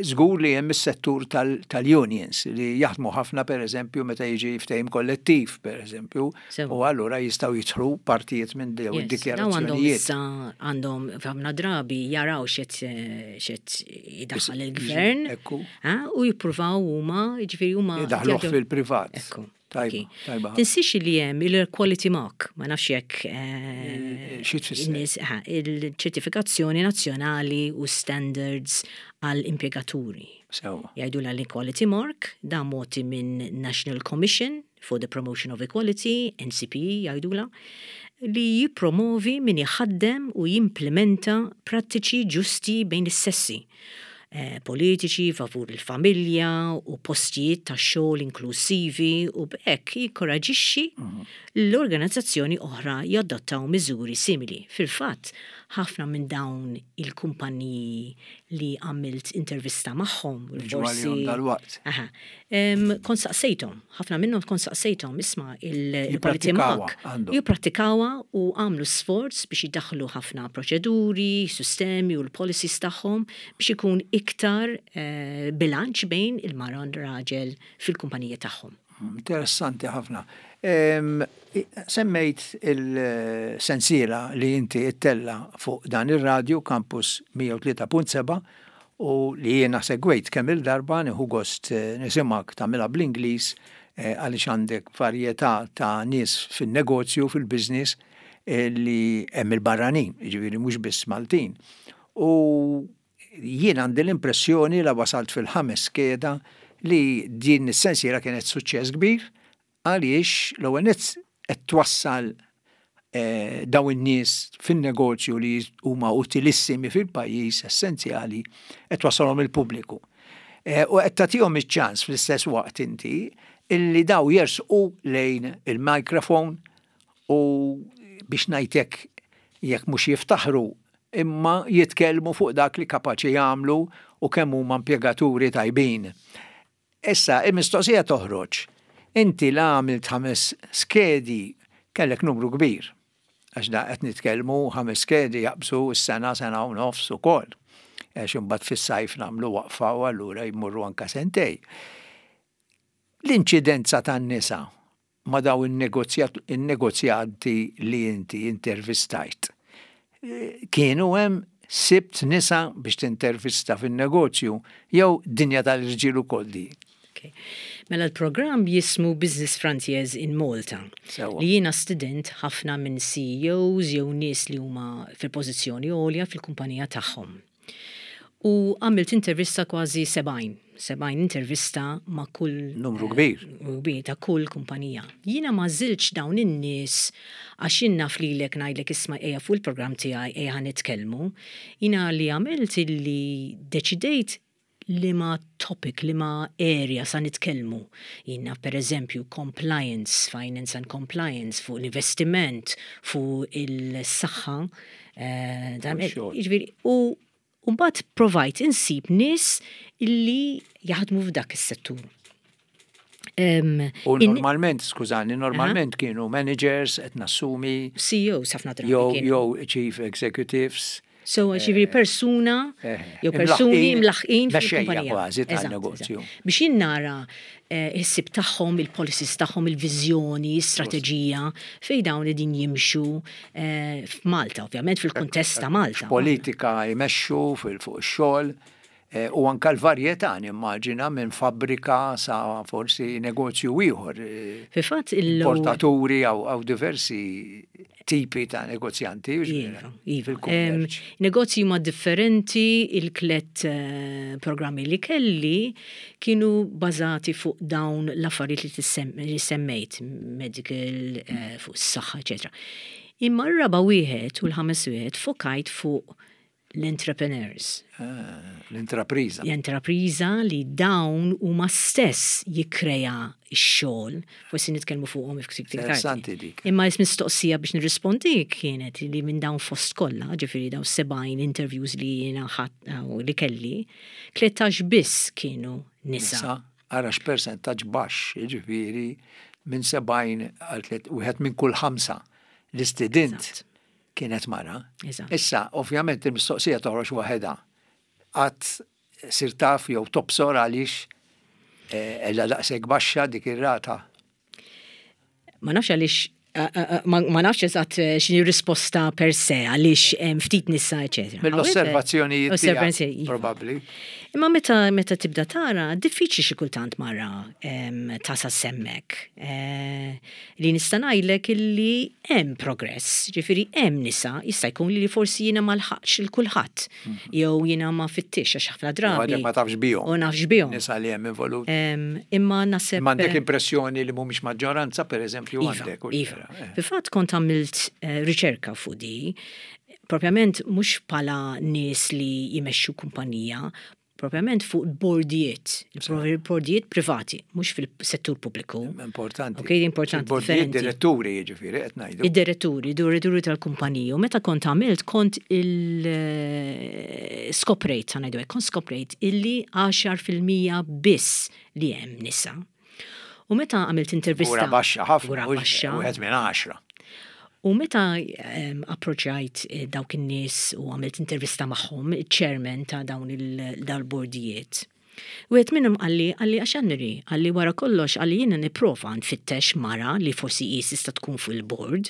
żgur li hemm is-settur tal-unions li jaħdmu ħafna pereżempju meta jiġi ftehim kollettiv pereżempju, u allura jistgħu jidħlu partijiet minn dawn id-dikjarazzjonijiet. Għandhom ħafna drabi jaraw x'qed idaħħal il-gvern u jippruvaw huma, jiġifieri huma. Idaħħluh fil-privat. Ekku. Tajba, tajba. Tinsiex li hemm il-quality mark, ma nafx jekk Xi tfisser? Il-ċertifikazzjoni nazzjonali u standards għal impjegaturi. Sewwa. Jgħidulha l-equality mark, dan mogħti minn National Commission for the Promotion of Equality, NCPE jgħidulha, li jippromovi min iħaddem u jimplimenta prattiċi ġusti bejn is-sessi politiċi favur il-familja u postijiet ta' xogħol inklusivi u b'hekk jinkoraġixxi l-organizzazzjoni oħra jadottaw miżuri simili. Fil-fatt, ħafna minn dawn il-kumpaniji li għamilt intervista magħhom, forsi. Dal-waqt. Kont saqsejthom, ħafna minnhom kont saqsejthom, isma' il-quality mark. Jipprattikawha u għamlu sforz biex idaħħlu ħafna proċeduri, sistemi u l-policies tagħhom biex ikun iktar bilanċ bejn il-mara u r-raġel fil-kumpaniji tagħhom. Interessanti ħafna. Semmejt il-sensiela li inti ttella' fuq dan ir-radju Campus 103.7 u li jiena segwejt kemm-il darba, nieħu gost nisimgħek tagħmilha bl-Ingliż għaliex għandek varjetà ta' nies fin-negozju, fil-business li hemm il-barranin, jiġifieri mhux biss Maltin. U jien għandi l-impressjoni la wasalt fil-ħames skeda li din is-sensiela kienet suċċess kbir Għaliex l-ewwel nett qed twassal dawn in-nies fin-negozju li huma utilissimi fil-pajjiż, essenzjali, qed twassalhom il-pubbliku. U qed tagħtihom iċ-ċans fl-istess waqt inti illi daw jersqu lejn il-microphone u biex ngħid hekk jekk mhux jiftaħru imma jitkellmu fuq dak li kapaċi jagħmlu u kemm huma impjegaturi tajbin. Issa, il-mistoqsija toħroġ, inti la għamilt ħames skedi kellek numru kbir, għax da qed nitkellmu ħames skedi jaqbżu s-sena, sena u nofs ukoll, għax imbagħad fis-sajf nagħmlu waqfa u allura jmorru anke sentej. L-inċidenza tan-nisa ma' dawn in-negozjanti li inti intervistajt. Kienu hemm sibt nisa biex tintervista fin-negozju jew dinja tal-irġiel ukoll di? Mela l-programm jismu Business Frontiers in Malta. Li jiena stidint ħafna minn CEOs jew nies li huma fil-pożizzjoni għolja fil-kumpanija tagħhom. U għamilt intervista kważi 70, 70 intervista ma' kull. Numru kbir. Numru kbir ta' kull kumpanija. Jiena ma għażiltx dawn in-nies għax jien naf lilek ngħidlek isma' ejja fuq il-programm tiegħi ejja ħa nitkellmu. Jiena li għamilt illi deċidejt liema topic, liema area sa nitkellmu. Jien naf per eżempju compliance, finance and compliance, fuq l-investiment, fuq il-saħħa. Jiġifieri, u mbagħad provajt insib nies illi jaħdmu f'dak is-settur. U normalment, skużani, normalment kienu managers, qed nassumi. CEOs ħafna drabi. Jew chief executives. So, ġifieri persuna, jew persuni mlaħqin fil-kumpanija. kważi tan-negozju. Biex jien nara is-sib tagħhom, il-policies tagħhom, il-viżjoni, strateġija, fejn dawn qegħdin jimxu f'Malta, ovvjament fil-kuntest ta' Malta. Politika jmexxu fuq ix-xogħol u anka l-varjetà nimmaġina minn fabbrika sa forsi negozju ieħor. Fil-fatt il- Importaturi għaw diversi tipi ta' negozjanti. Iva, iva. Negozji ma differenti, il-tliet programmi li kelli kienu bazati fuq dawn l-affarijiet li semmejt, medical, fuq s-saħħa, eccetera. Imma r-raba wieħed u l-ħames wieħed fokajt fuq l-entrepreneurs. Ah, l-intrapriża. L-intrapriża li dawn huma stess jikkrea x-xogħol, forsi nitkellmu fuqhom iktar. Interessanti dik. Imma mistoqsija biex nirrispondi kienet li minn dawn fost kollha, ġifieri dawn 70 interviews li jiena li kelli, 13 biss kienu nisa. Ara x'persentaġġ baxx, ġifieri minn 70 għal wieħed minn kull ħamsa l-istudent kienet mara. Issa, ovvjament, il-mistoqsija toħroġ waħedha. Qatt sirt taf jew tobsor għaliex qiegħda daqshekk baxxa dik ir-rata. Ma nafx għaliex, ma nafx eżatt x'inhi risposta per se għaliex ftit nisa, eċetera. Mill-osservazzjonijiet tiegħek, probabbli. Imma meta tibda tara, diffiċli xi kultant mara tasal s'hemmhekk. Li nista' ngħidlek illi hemm progress, ġifieri hemm nisa, jista' jkun li forsi jiena ma lħaqx il kulħadd. Jew jiena ma fittix għax ħafna drabi. Ma tafx bihom. U nafx bihom. Nisa li hemm involuti. Imma naħseb. M'għandek impressjoni li mhumiex maġġoranza, per eżempju, iva, għandek. Iva. Fil-fatt kont għamilt riċerka fuq di, propjament mhux bħala nies li jmexxu kumpanija, propjament fuq bordijiet, bordijiet privati, mhux fil-settur pubbliku. Importanti. Ok, importanti. Bordijiet diretturi jiġifieri qed ngħidu. Id-diretturi, diretturi tal-kumpaniji. U meta kont għamilt, kont il-skoprejt, ħa ngħidu kont skoprejt illi 10% biss li hemm nisa. U meta għamilt intervista. Ura baxxa ħafna. Ura baxxa. Wieħed minn 10. U meta approċċjajt dawk in-nies u għamilt intervista magħhom, il-chairman ta' dawn il-bordijiet. Wieħed minnhom qalli għax Anri, qalli wara kollox, qalli jiena nipprova nfittex mara li forsi hi tista' tkun fuq il-board.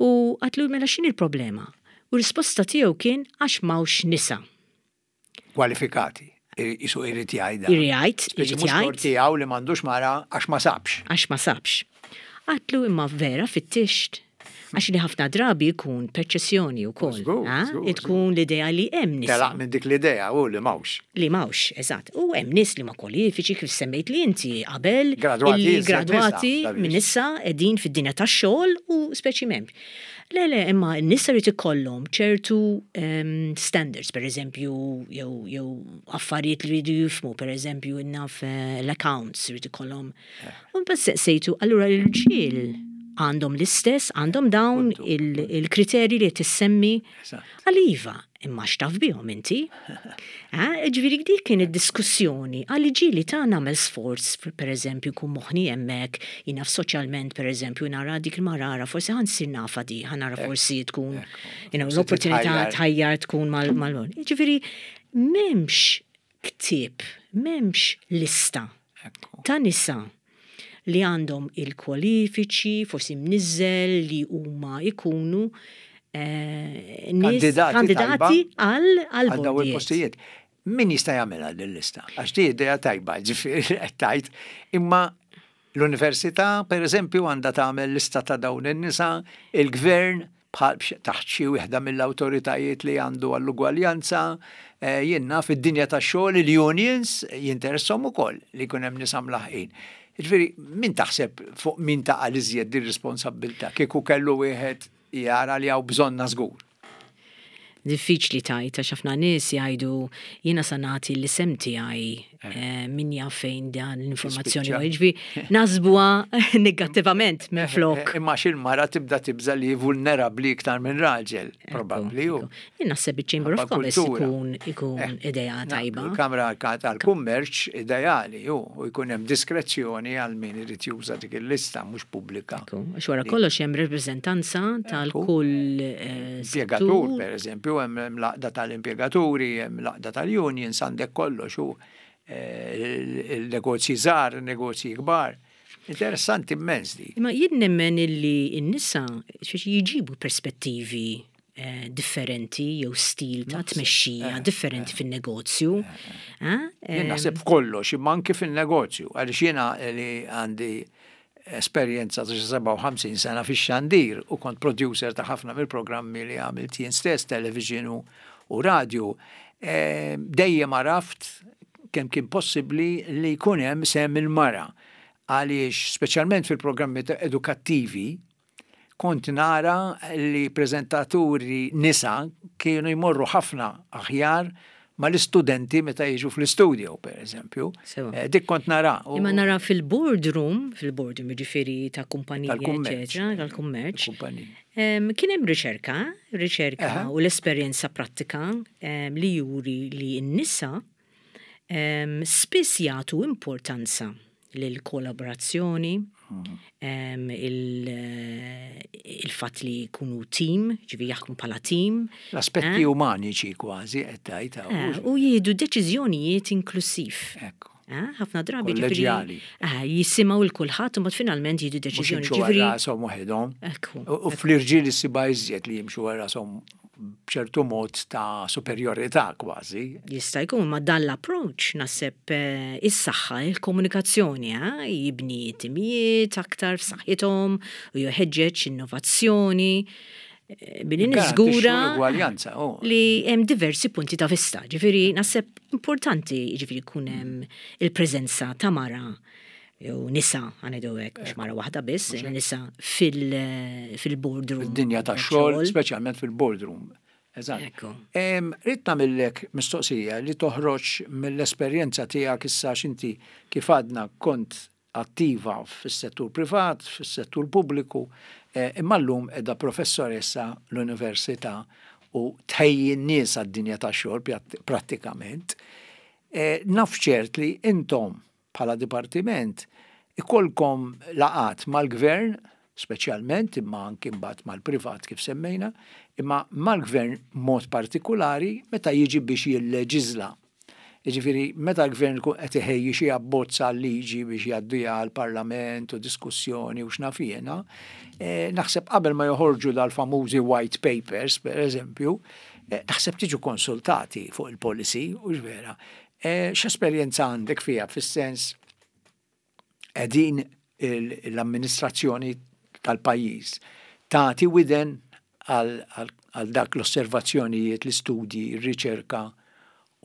U għedtlu mela x'inhi il-problema? U risposta tiegħu kien għax m'hawnx nisa. Kwalifikati. Isu irid jgħidha. Irid jgħid, irid jgħid. Tiegħu li m'għandux mara għax ma sabx. Għax ma sabx. Għedtlu imma vera fittixt. Għax li ħafna drabi jkun perċessjoni u koll. Tkun l-idea li hemm nisa. Telaq minn dik l-idea u li m'hawnx. Li m'hawnx, eżatt. U hemm nies li ma kwalifiċi kif semmejt li inti qabel. Gradwati. Gradwati minn nisa qegħdin fid-dinja tax-xogħol u speċi m'hemm. Le, le, imma n-nisa jrid ikollhom ċertu standards, per eżempju, jew affarijiet li jridu jifhmu, per eżempju, naf l-accounts jrid ikollhom. U bas sejtu, allura l-irġiel għandhom l-istess, għandhom dawn il-kriterji li tissemmi. Qalli iva, imma x'taf bihom inti. Ġifieri dik kien id-diskussjoni, qalli ġieli ta' nagħmel sforz, per eżempju, kun moħħni hemmhekk, jiena soċjalment, per eżempju, nara dik il-marara, forsi ħa nsir nafha di, ħa nara forsi tkun, l-opportunità tħajjar tkun mal. Ġifieri, m'hemmx ktieb, m'hemmx lista ta' nisa li għandhom il-kwalifiċi, forsi mniżel li huma ikunu kandidati għal daw il-postijiet. Min jista' jagħmilha din lista? Għax di idea tajba, ġifieri qed tgħid, imma l-università, per eżempju, għandha tagħmel lista ta' dawn in-nisa, il-gvern. bħal taħt xi wieħda mill-awtoritajiet li għandu għall-ugwaljanza, eh, jien naf id-dinja tax-xogħol il-unions jinteresshom ukoll li jkun hemm nisa mlaħqin. Jiġifieri min taħseb fuq min taqa' l-iżjed din responsabbiltà kieku kellu wieħed jara li hawn bżonnha żgur. Diffiċli tgħid għax ħafna nies jgħidu jiena sa nagħti l-isem tiegħi eh, min jaf fejn dan l-informazzjoni u jiġifieri nasbuha negattivament minn eh, flok. Eh, imma xil-mara tibda tibża li vulnerabbli iktar minn raġel, probabbli. Jien naħseb iċ-Chamber of Commerce ikun ikun idea tajba. Il-Kamra tal-Kummerċ ideali u jkun hemm diskrezzjoni għal min irid juża dik il-lista mhux pubblika. Għax wara kollox hemm rappreżentanza tal-kull eh, impjegatur, pereżempju, hemm l-għaqda tal-impjegaturi, hemm l-għaqda tal-unions, għandek kollox u eh, il-negozji żgħar, negozji kbar. Interessanti immens di. Imma jien nemmen illi n-nisa jġibu perspettivi eh, differenti jew stil ta' tmexxija eh, differenti eh, fin-negozju. Jien naħseb f'kollox, imma anki fin-negozju, għaliex jiena li għandi esperjenza ta' 57 sena fix-xandir u kont producer ta' ħafna mill-programmi li għamilt jien stess, television u radio, dejjem għaraft kemm kien possibbli li jkun hemm sehem il-mara għaliex speċjalment fil-programmi edukattivi kont nara li preżentaturi nisa kienu jmorru ħafna aħjar mal-istudenti meta jiġu fl-istudio, per eżempju. Eh, dik kont nara. Imma nara fil-boardroom, fil-boardroom ġifiri ta' kumpanija, eccetera, tal-kummerċ. Kien hemm riċerka, riċerka u l-esperjenza prattika li juri li n-nisa spiss jagħtu importanza lill-kollaborazzjoni, il-fatt li jkunu tim, ġifieri jaħdmu bħala tim. L-aspetti eh? umaniċi kważi qed tgħid. Eh, u jieħdu deċiżjonijiet inklusiv. Ekku. Eh, ħafna drabi ġifieri jisimgħu l kulħadd u mbagħad finalment jieħdu deċiżjoni. Ġifieri rashom waħedhom. U fl-irġiel issibha iżjed li jimxu rashom b'ċertu mod ta' superjorità kważi. Jista' jkun, ma dan l-approach naħseb eh, is-saħħa il-komunikazzjoni, eh, jibni timijiet aktar f'saħħithom u jħeġġeġ innovazzjoni eh, billi niżgura oh. li hemm diversi punti ta' vista. Ġifieri naħseb importanti ġifieri jkun hemm il-preżenza ta' mara jew nisa, għanidu hekk, mhux mara waħda biss, nisa fil-boardroom. Fid-dinja tax-xogħol, speċjalment fil-boardroom. Eżatt. Rrid nagħmillek mistoqsija li toħroġ mill-esperjenza tiegħek issa x'inti kif għadna kont attiva fis-settur privat, fis-settur pubbliku, eh, imma llum qiegħda professoressa l-università u tħejji n-nies għad-dinja tax-xogħol prattikament. Eh, naf ċert li intom bħala dipartiment ikollkom laqgħat mal-gvern, speċjalment imma anki mbagħad mal-privat kif semmejna, imma mal-gvern mod partikulari meta jiġi biex jilleġiżla. Jiġifieri meta l-gvern ikun qed iħejji xi abbozz għal liġi biex jgħaddiha għall-Parlament u diskussjoni u x'naf jiena, eh, naħseb qabel ma joħorġu dal-famużi white papers, per eżempju, eh, naħseb tiġu konsultati fuq il-policy, u vera. Eh, x'esperjenza għandek fiha fis-sens qegħdin l-amministrazzjoni tal-pajjiż tagħti widen għal dak l-osservazzjonijiet, l-istudji, r-riċerka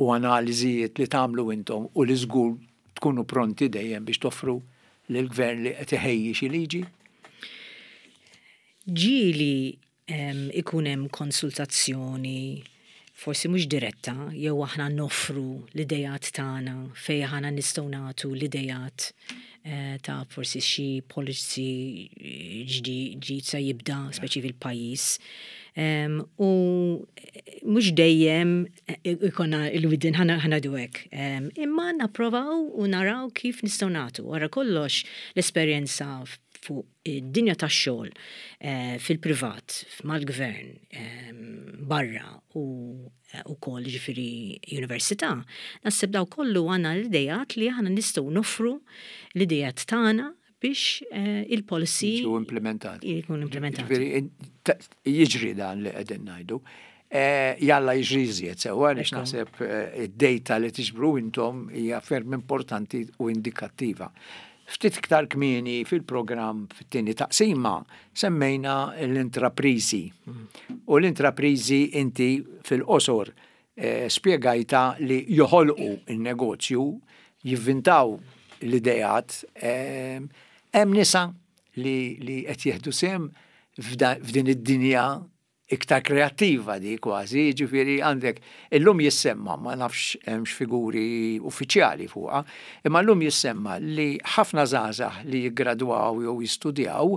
u analiżijiet li tagħmlu intom u li żgur tkunu pronti dejjem biex toffru lill-gvern li qed iħejji xi liġi? Ġieli ikun hemm konsultazzjoni forsi mhux diretta jew aħna noffru l-ideat tagħna fejn aħna nistgħu nagħtu l-ideat eh, ta' forsi xi policy ġdid se jibda speċi fil-pajjiż. U mhux dejjem eh, ikonna il-widin ħana hekk. Imma napprovaw u naraw kif nistgħu nagħtu. Wara kollox l-esperjenza fuq id-dinja tax-xogħol eh, fil-privat, mal-gvern, ehm, barra u eh, ukoll ġifieri università, naħseb daw kollu għandna l-idejat li aħna nistgħu noffru l-idejat tagħna biex eh, il-policy jiġu implementati. Jkun implementati. Jiġri dan li qegħdin ngħidu. Jalla jiġri iżjed sewwa għaliex naħseb id-data li tiġbru intom hija ferm importanti u indikattiva. Ftit iktar kmieni fil-programm fit-tieni taqsima semmejna l-intrapriżi. U l-intrapriżi inti fil-qosor spjegajtha li joħolqu n-negozju, jivvintaw l-ideat. Hemm nisa li qed jieħdu sehem f'din id-dinja iktar kreattiva di kważi, jiġifieri għandek illum jissemma, ma nafx hemmx figuri uffiċjali fuqha, imma llum jissemma li ħafna żgħażagħ li jiggradwaw jew jistudjaw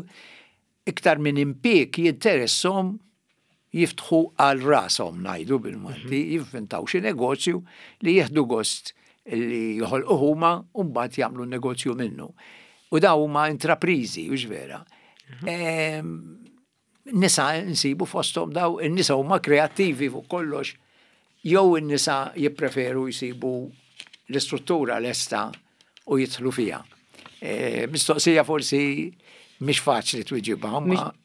iktar minn impieg jinteresshom jiftħu għal rashom ngħidu bil-Malti, jivvintaw xi negozju li jieħdu gost li joħolquh huma u mbagħad jagħmlu negozju minnu. U dawn huma intrapriżi, hux vera. Nisa nsibu fosthom daw, in-nisa huma kreattivi fuq kollox, jew in-nisa jippreferu jsibu l-istruttura lesta u jidħlu fiha. E, mistoqsija forsi mhix faċli twiġibha.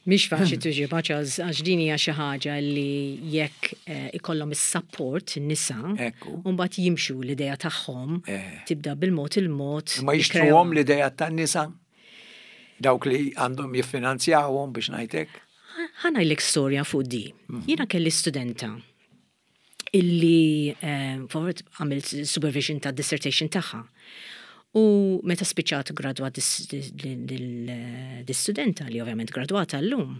Mhix faċli twiġibha Charles għax din hija xi ħaġa li jekk eh, ikollhom is-support in-nisa, u mbagħad jimxu l-idea tagħhom eh. tibda bil-mod il-mod. Ma jixtruhom l-idea tan-nisa? Dawk li għandhom jiffinanzjawhom biex ngħid hekk. Ħa ngħidlek storja fuq di. Mhm. Jiena kelli studenta illi eh, għamilt supervision ta' dissertation tagħha. U meta spiċċat gradwat dis-studenta li ovvjament gradwata llum,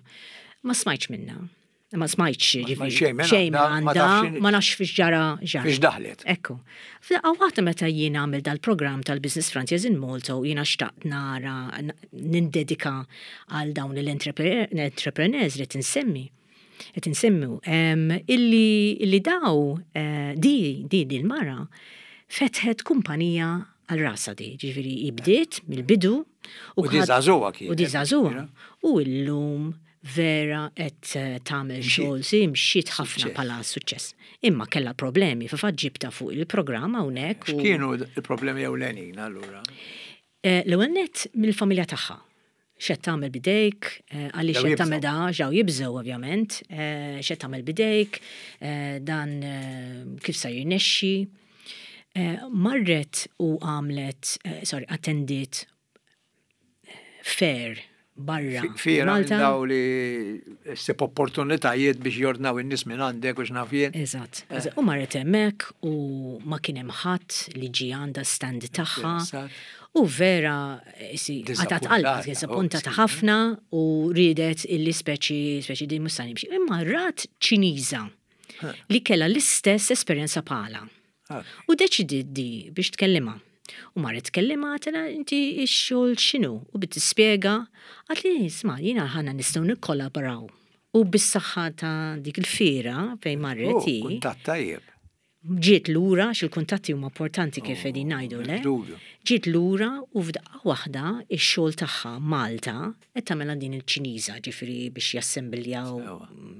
ma smajtx minna. Ma smajtx ġifieri xejn għandha, ma nafx fiex ġara ġara. Fiex daħlet. Ekku. F'daqqa waħda meta jien għamil dal-programm tal-Business Frontiers in Malta u jiena xtaqt nara nindedika għal dawn l-entrepreneurs li tinsemmi qed insemmu illi illi daw eh, di di di l-mara fetħet kumpanija għal rasa di, ġifieri bdiet mill-bidu u di żagħżugħa kienet. U di żagħżugħa. U llum vera qed eh, tagħmel xogħol si mxiet ħafna bħala suċċess. Imma kellha problemi, fil-fatt ġibta fuq il-programm hawnhekk. X'kienu l-problemi ewlenin allura? Eh, l-ewwel nett mill-familja tagħha. X'qed tagħmel bidejk, eh, għaliex qed tagħmel da, ġew jibżgħu ovvjament, x'qed tagħmel bidejk, dan kif sa jirnexxi. Marret u għamlet, sorry, attendiet fair barra. Fiera Malta. Daw li ssib opportunitajiet biex jordnaw in-nies minn għandek u x'naf jien. Eżatt. Eh. U marret hemmhekk u ma kien hemm ħadd li ġie għandha stand tagħha. U vera għatat qalbha, disappuntata ħafna u riedet illi speċi speċi din mhux nimxi. Imma rat Ċiniża li kellha l-istess esperjenza bħala. U deċidiet di biex tkellimha. U marret tkellimha għatela inti x-xogħol x'inhu u bdiet tispjega għatli isma' jiena ħana nistgħu nikkollaboraw. U bis-saħħa ta' dik il-fiera fejn marret oh, hi. Kuntatt tajjeb. Ġiet lura, għax il-kuntatti huma importanti kif oh, qegħdin ngħidu le. Ġiet lura u f'daqqa waħda x-xogħol tagħha Malta Qed tagħmilha din il-Ċiniża, ġifieri biex jassembiljaw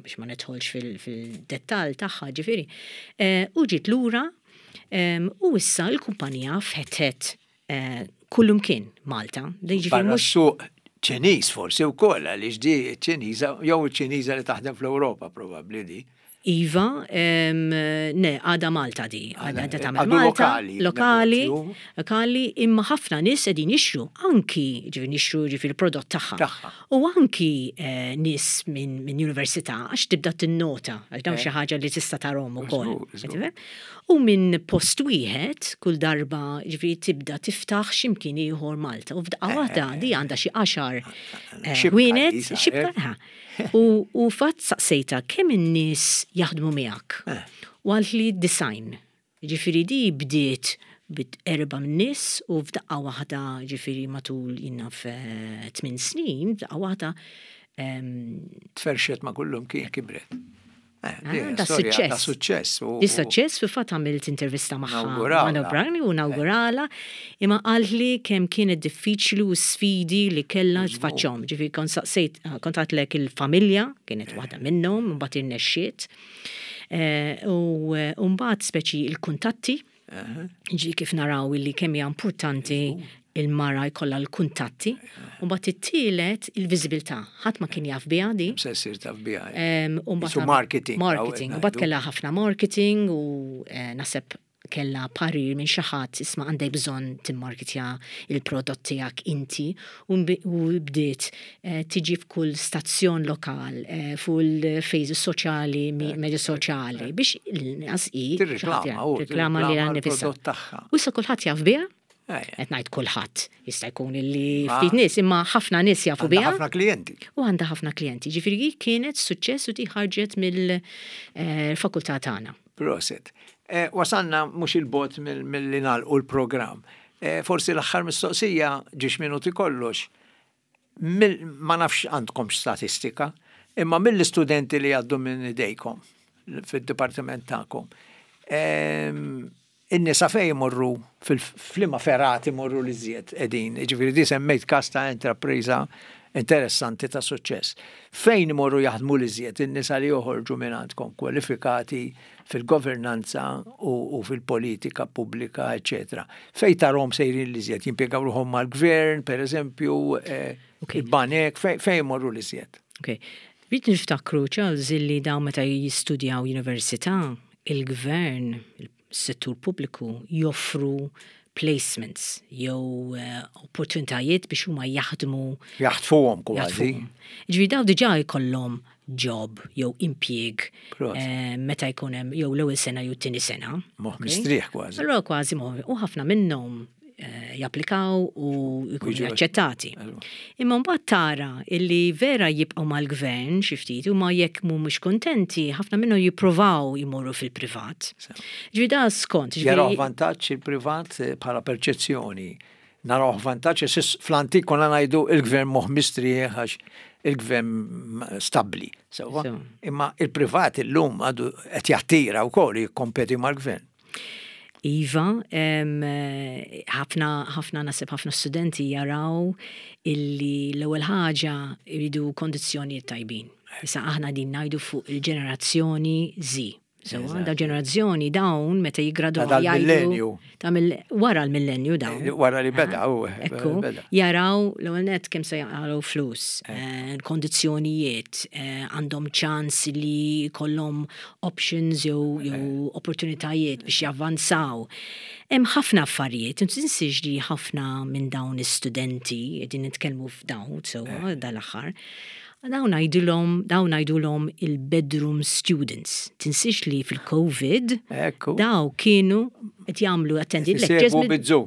biex ma nidħolx fil-dettall tagħha, ġifieri. Eh, u ġiet lura u issa l-kumpanija fetħet eh, kullumkien Malta. Ġifieri mhux suq Ċiniż forsi wkoll għaliex di ċiniża jew ċiniża li taħdem fl-Ewropa probabbli di. Iva, ne, għada Malta di, għada tagħmel Malta. Lokali. Lokali, lokali, imma ħafna nies qegħdin jixtru, anki ġifieri jixtru ġifieri prodott tagħha. U anki eh, nies minn università għax tibda tinnota, għax dawn eh. xi ħaġa li tista' tarhom ukoll. U minn post wieħed kull darba ġifieri tibda tiftaħ x'imkien ieħor Malta. U f'daqqa eh, waħda di għandha xi għaxar ħwienet, xibka. U, u fatt saqsejta kemm in-nies jaħdmu miegħek. Eh. U għalt li design. Ġifieri di bdiet bit erba min-nies u f'daqqa waħda ġifieri matul jinnaf eh, tmien snin, f'daqqa waħda Tferxet ma' kullum kien kibret. Eh, ah, da suċċess. Da suċċess. Di suċċess fil fatt għamilt intervista magħha. Nawguralha. U nawguralha. Imma qaltli kemm kienet diffiċli u sfidi li kellha tfaċċhom. Ġifieri kont saqsejt, kont għadtlek il-familja kienet waħda minnhom, mbagħad irnexxiet. Eh, u mbagħad speċi il-kuntatti. Ġi kif naraw illi kemm hija importanti il-mara jkollha l-kuntatti. U mbagħad it-tielet il-viżibilità. Ħadd ma kien jaf biha di. Se ssir taf biha. Su marketing. Marketing. U mbagħad kellha ħafna marketing u eh, naħseb kellha parir minn xi ħadd isma' għandek bżonn timmarketja il-prodott tiegħek inti u bdiet eh, tiġi f'kull stazzjon lokal eh, fuq il-fejs soċjali, medja soċjali biex l-inqas hi tirriklama lilha nnifisha. U issa kulħadd jaf biha. Qed ngħid kulħadd, jista' jkun illi ftit nies, imma ħafna nies jafu biha. Ħafna klijenti. U għandha ħafna klijenti. Ġifieri kienet suċċess u di ħarġet mill-fakultà eh, tagħna. Proset. Eh, wasalna mhux il-bot mill-li nagħlqu l-programm. Eh, forsi l-aħħar mistoqsija ġiex minuti kollox. Ma nafx għandkomx statistika, imma mill-istudenti li għaddu minn idejkom fid-dipartiment tagħkom. Ehm, in-nisa fejn imorru f'liema fergħat imorru l-iżjed qegħdin. Jiġifieri di semmejt każ ta' intrapriża interessanti ta' suċċess. Fejn imorru jaħdmu l-iżjed in-nisa li joħorġu minn għandkom kwalifikati fil-governanza u fil-politika pubblika, eċċetera. Fejn tarhom sejrin l-iżjed? Jimpjegaw ruħhom mal-gvern, per eżempju, eh, il-banek, fejn imorru l-iżjed? Ok. Rrid niftakru, Charles, illi dawn meta jistudjaw università, il-gvern, settur pubbliku joffru placements jew eh, opportunitajiet biex huma jaħdmu. Jaħtfuhom kważi. Ġifieri daw diġà jkollhom job jew impjieg eh, meta jkun hemm jew l-ewwel sena jew t-tieni sena. Moħ mistrieħ kważi. Allura kważi moħ u ħafna minnhom Eh, japplikaw u jkunu aċċettati. Imma mbagħad tara illi vera jibqgħu mal-gvern xi ftit u ma jekk mhumiex kuntenti ħafna minnhom jippruvaw jmorru fil-privat. Ġifieri da skont. Jaraw vantaġġ il-privat eh, bħala perċezzjoni. Naraw vantaġġ fl-antik konna ngħidu il-gvern moħ mistrieħ għax il-gvern stabbli. Sewwa. Imma il-privat illum għadu qed jattira wkoll jikkompeti mal-gvern. Iva, ħafna ħafna nasib ħafna studenti jaraw illi l-ewwel ħaġa jridu kondizzjonijiet tajbin. Issa aħna din ngħidu fuq il-ġenerazzjoni Z. So, da ġenerazzjoni dawn meta jigradwaw jgħidu ta' wara l-millenju dawn. Eh, wara li beda u eh, Ekku, jaraw l-ewwel net kemm se jaqgħu flus, eh. kondizzjonijiet, għandhom ċans li kollhom options jew jew opportunitajiet biex javvanzaw. Hemm ħafna affarijiet, tinsiex li ħafna minn dawn is-studenti qegħdin nitkellmu f'dawn sewwa dal-aħħar, dawn ngħidulhom dawn ngħidulhom il-bedroom students. Tinsiex li fil-COVID daw kienu qed jagħmlu attended lectures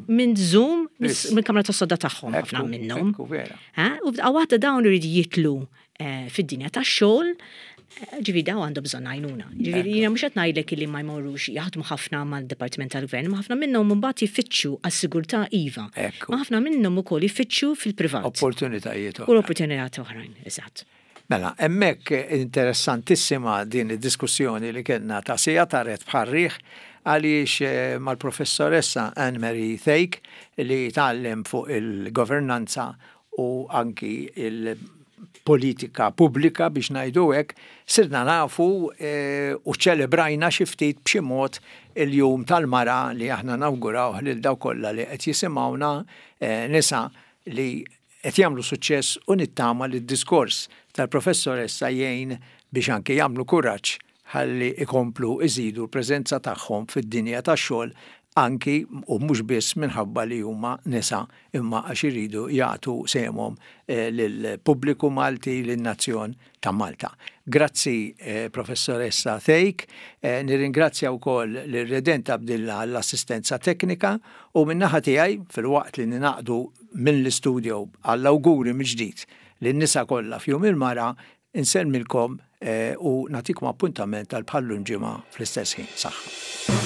minn Zoom mill-kamra tas-sodda tagħhom ħafna minnhom. U f'daqqa waħda dawn iridu jitlu Eh, fid-dinja tax-xogħol, eh, ġifieri daw għandhom bżonn għajnuna. Ġifieri jiena mhux qed ngħidlek li ma jmorrux jaħdmu ħafna mal-Dipartiment tal-Gvern, ma ħafna minnhom imbagħad jfittxu għas-sigurtà iva. Ma ħafna minnhom ukoll jfittxu fil-privat. Opportunitajiet oħra. U opportunitajiet oħrajn, eżatt. Mela, hemmhekk interessantissima din id-diskussjoni li kellna ta' sija taret bħarriħ għaliex eh, mal-professoressa Anne Marie Thake li tgħallem fuq il-governanza u anki il-politika pubblika biex ngħidu hekk, sirna nafu e, u ċelebrajna xi ftit b'xi mod il-jum tal-mara li aħna nawgurawh lil dawk kollha li qed jisimgħuna e, nisa li qed jagħmlu suċċess u nittama li d-diskors tal-professoressa jgħin biex anke jagħmlu kuraġġ ħalli ikomplu iżidu l-preżenza tagħhom fid-dinja tax-xogħol anki u mhux biss minħabba li huma nisa imma għax iridu jagħtu sehemhom eh, lill-pubbliku Malti, lin-nazzjon ta' Malta. Grazzi eh, Professoressa Thake, eh, nirringrazzja wkoll lil Redent Abdilla għall-assistenza teknika u min-naħa tiegħi filwaqt li ninaqdu mill-istudio għall-awguri mill-ġdid lin-nisa kollha f'Jum il-Mara Insellmilkom u nagħtikom appuntament għal bħal-lum ġimgħa fl-istess ħin. Saħħa.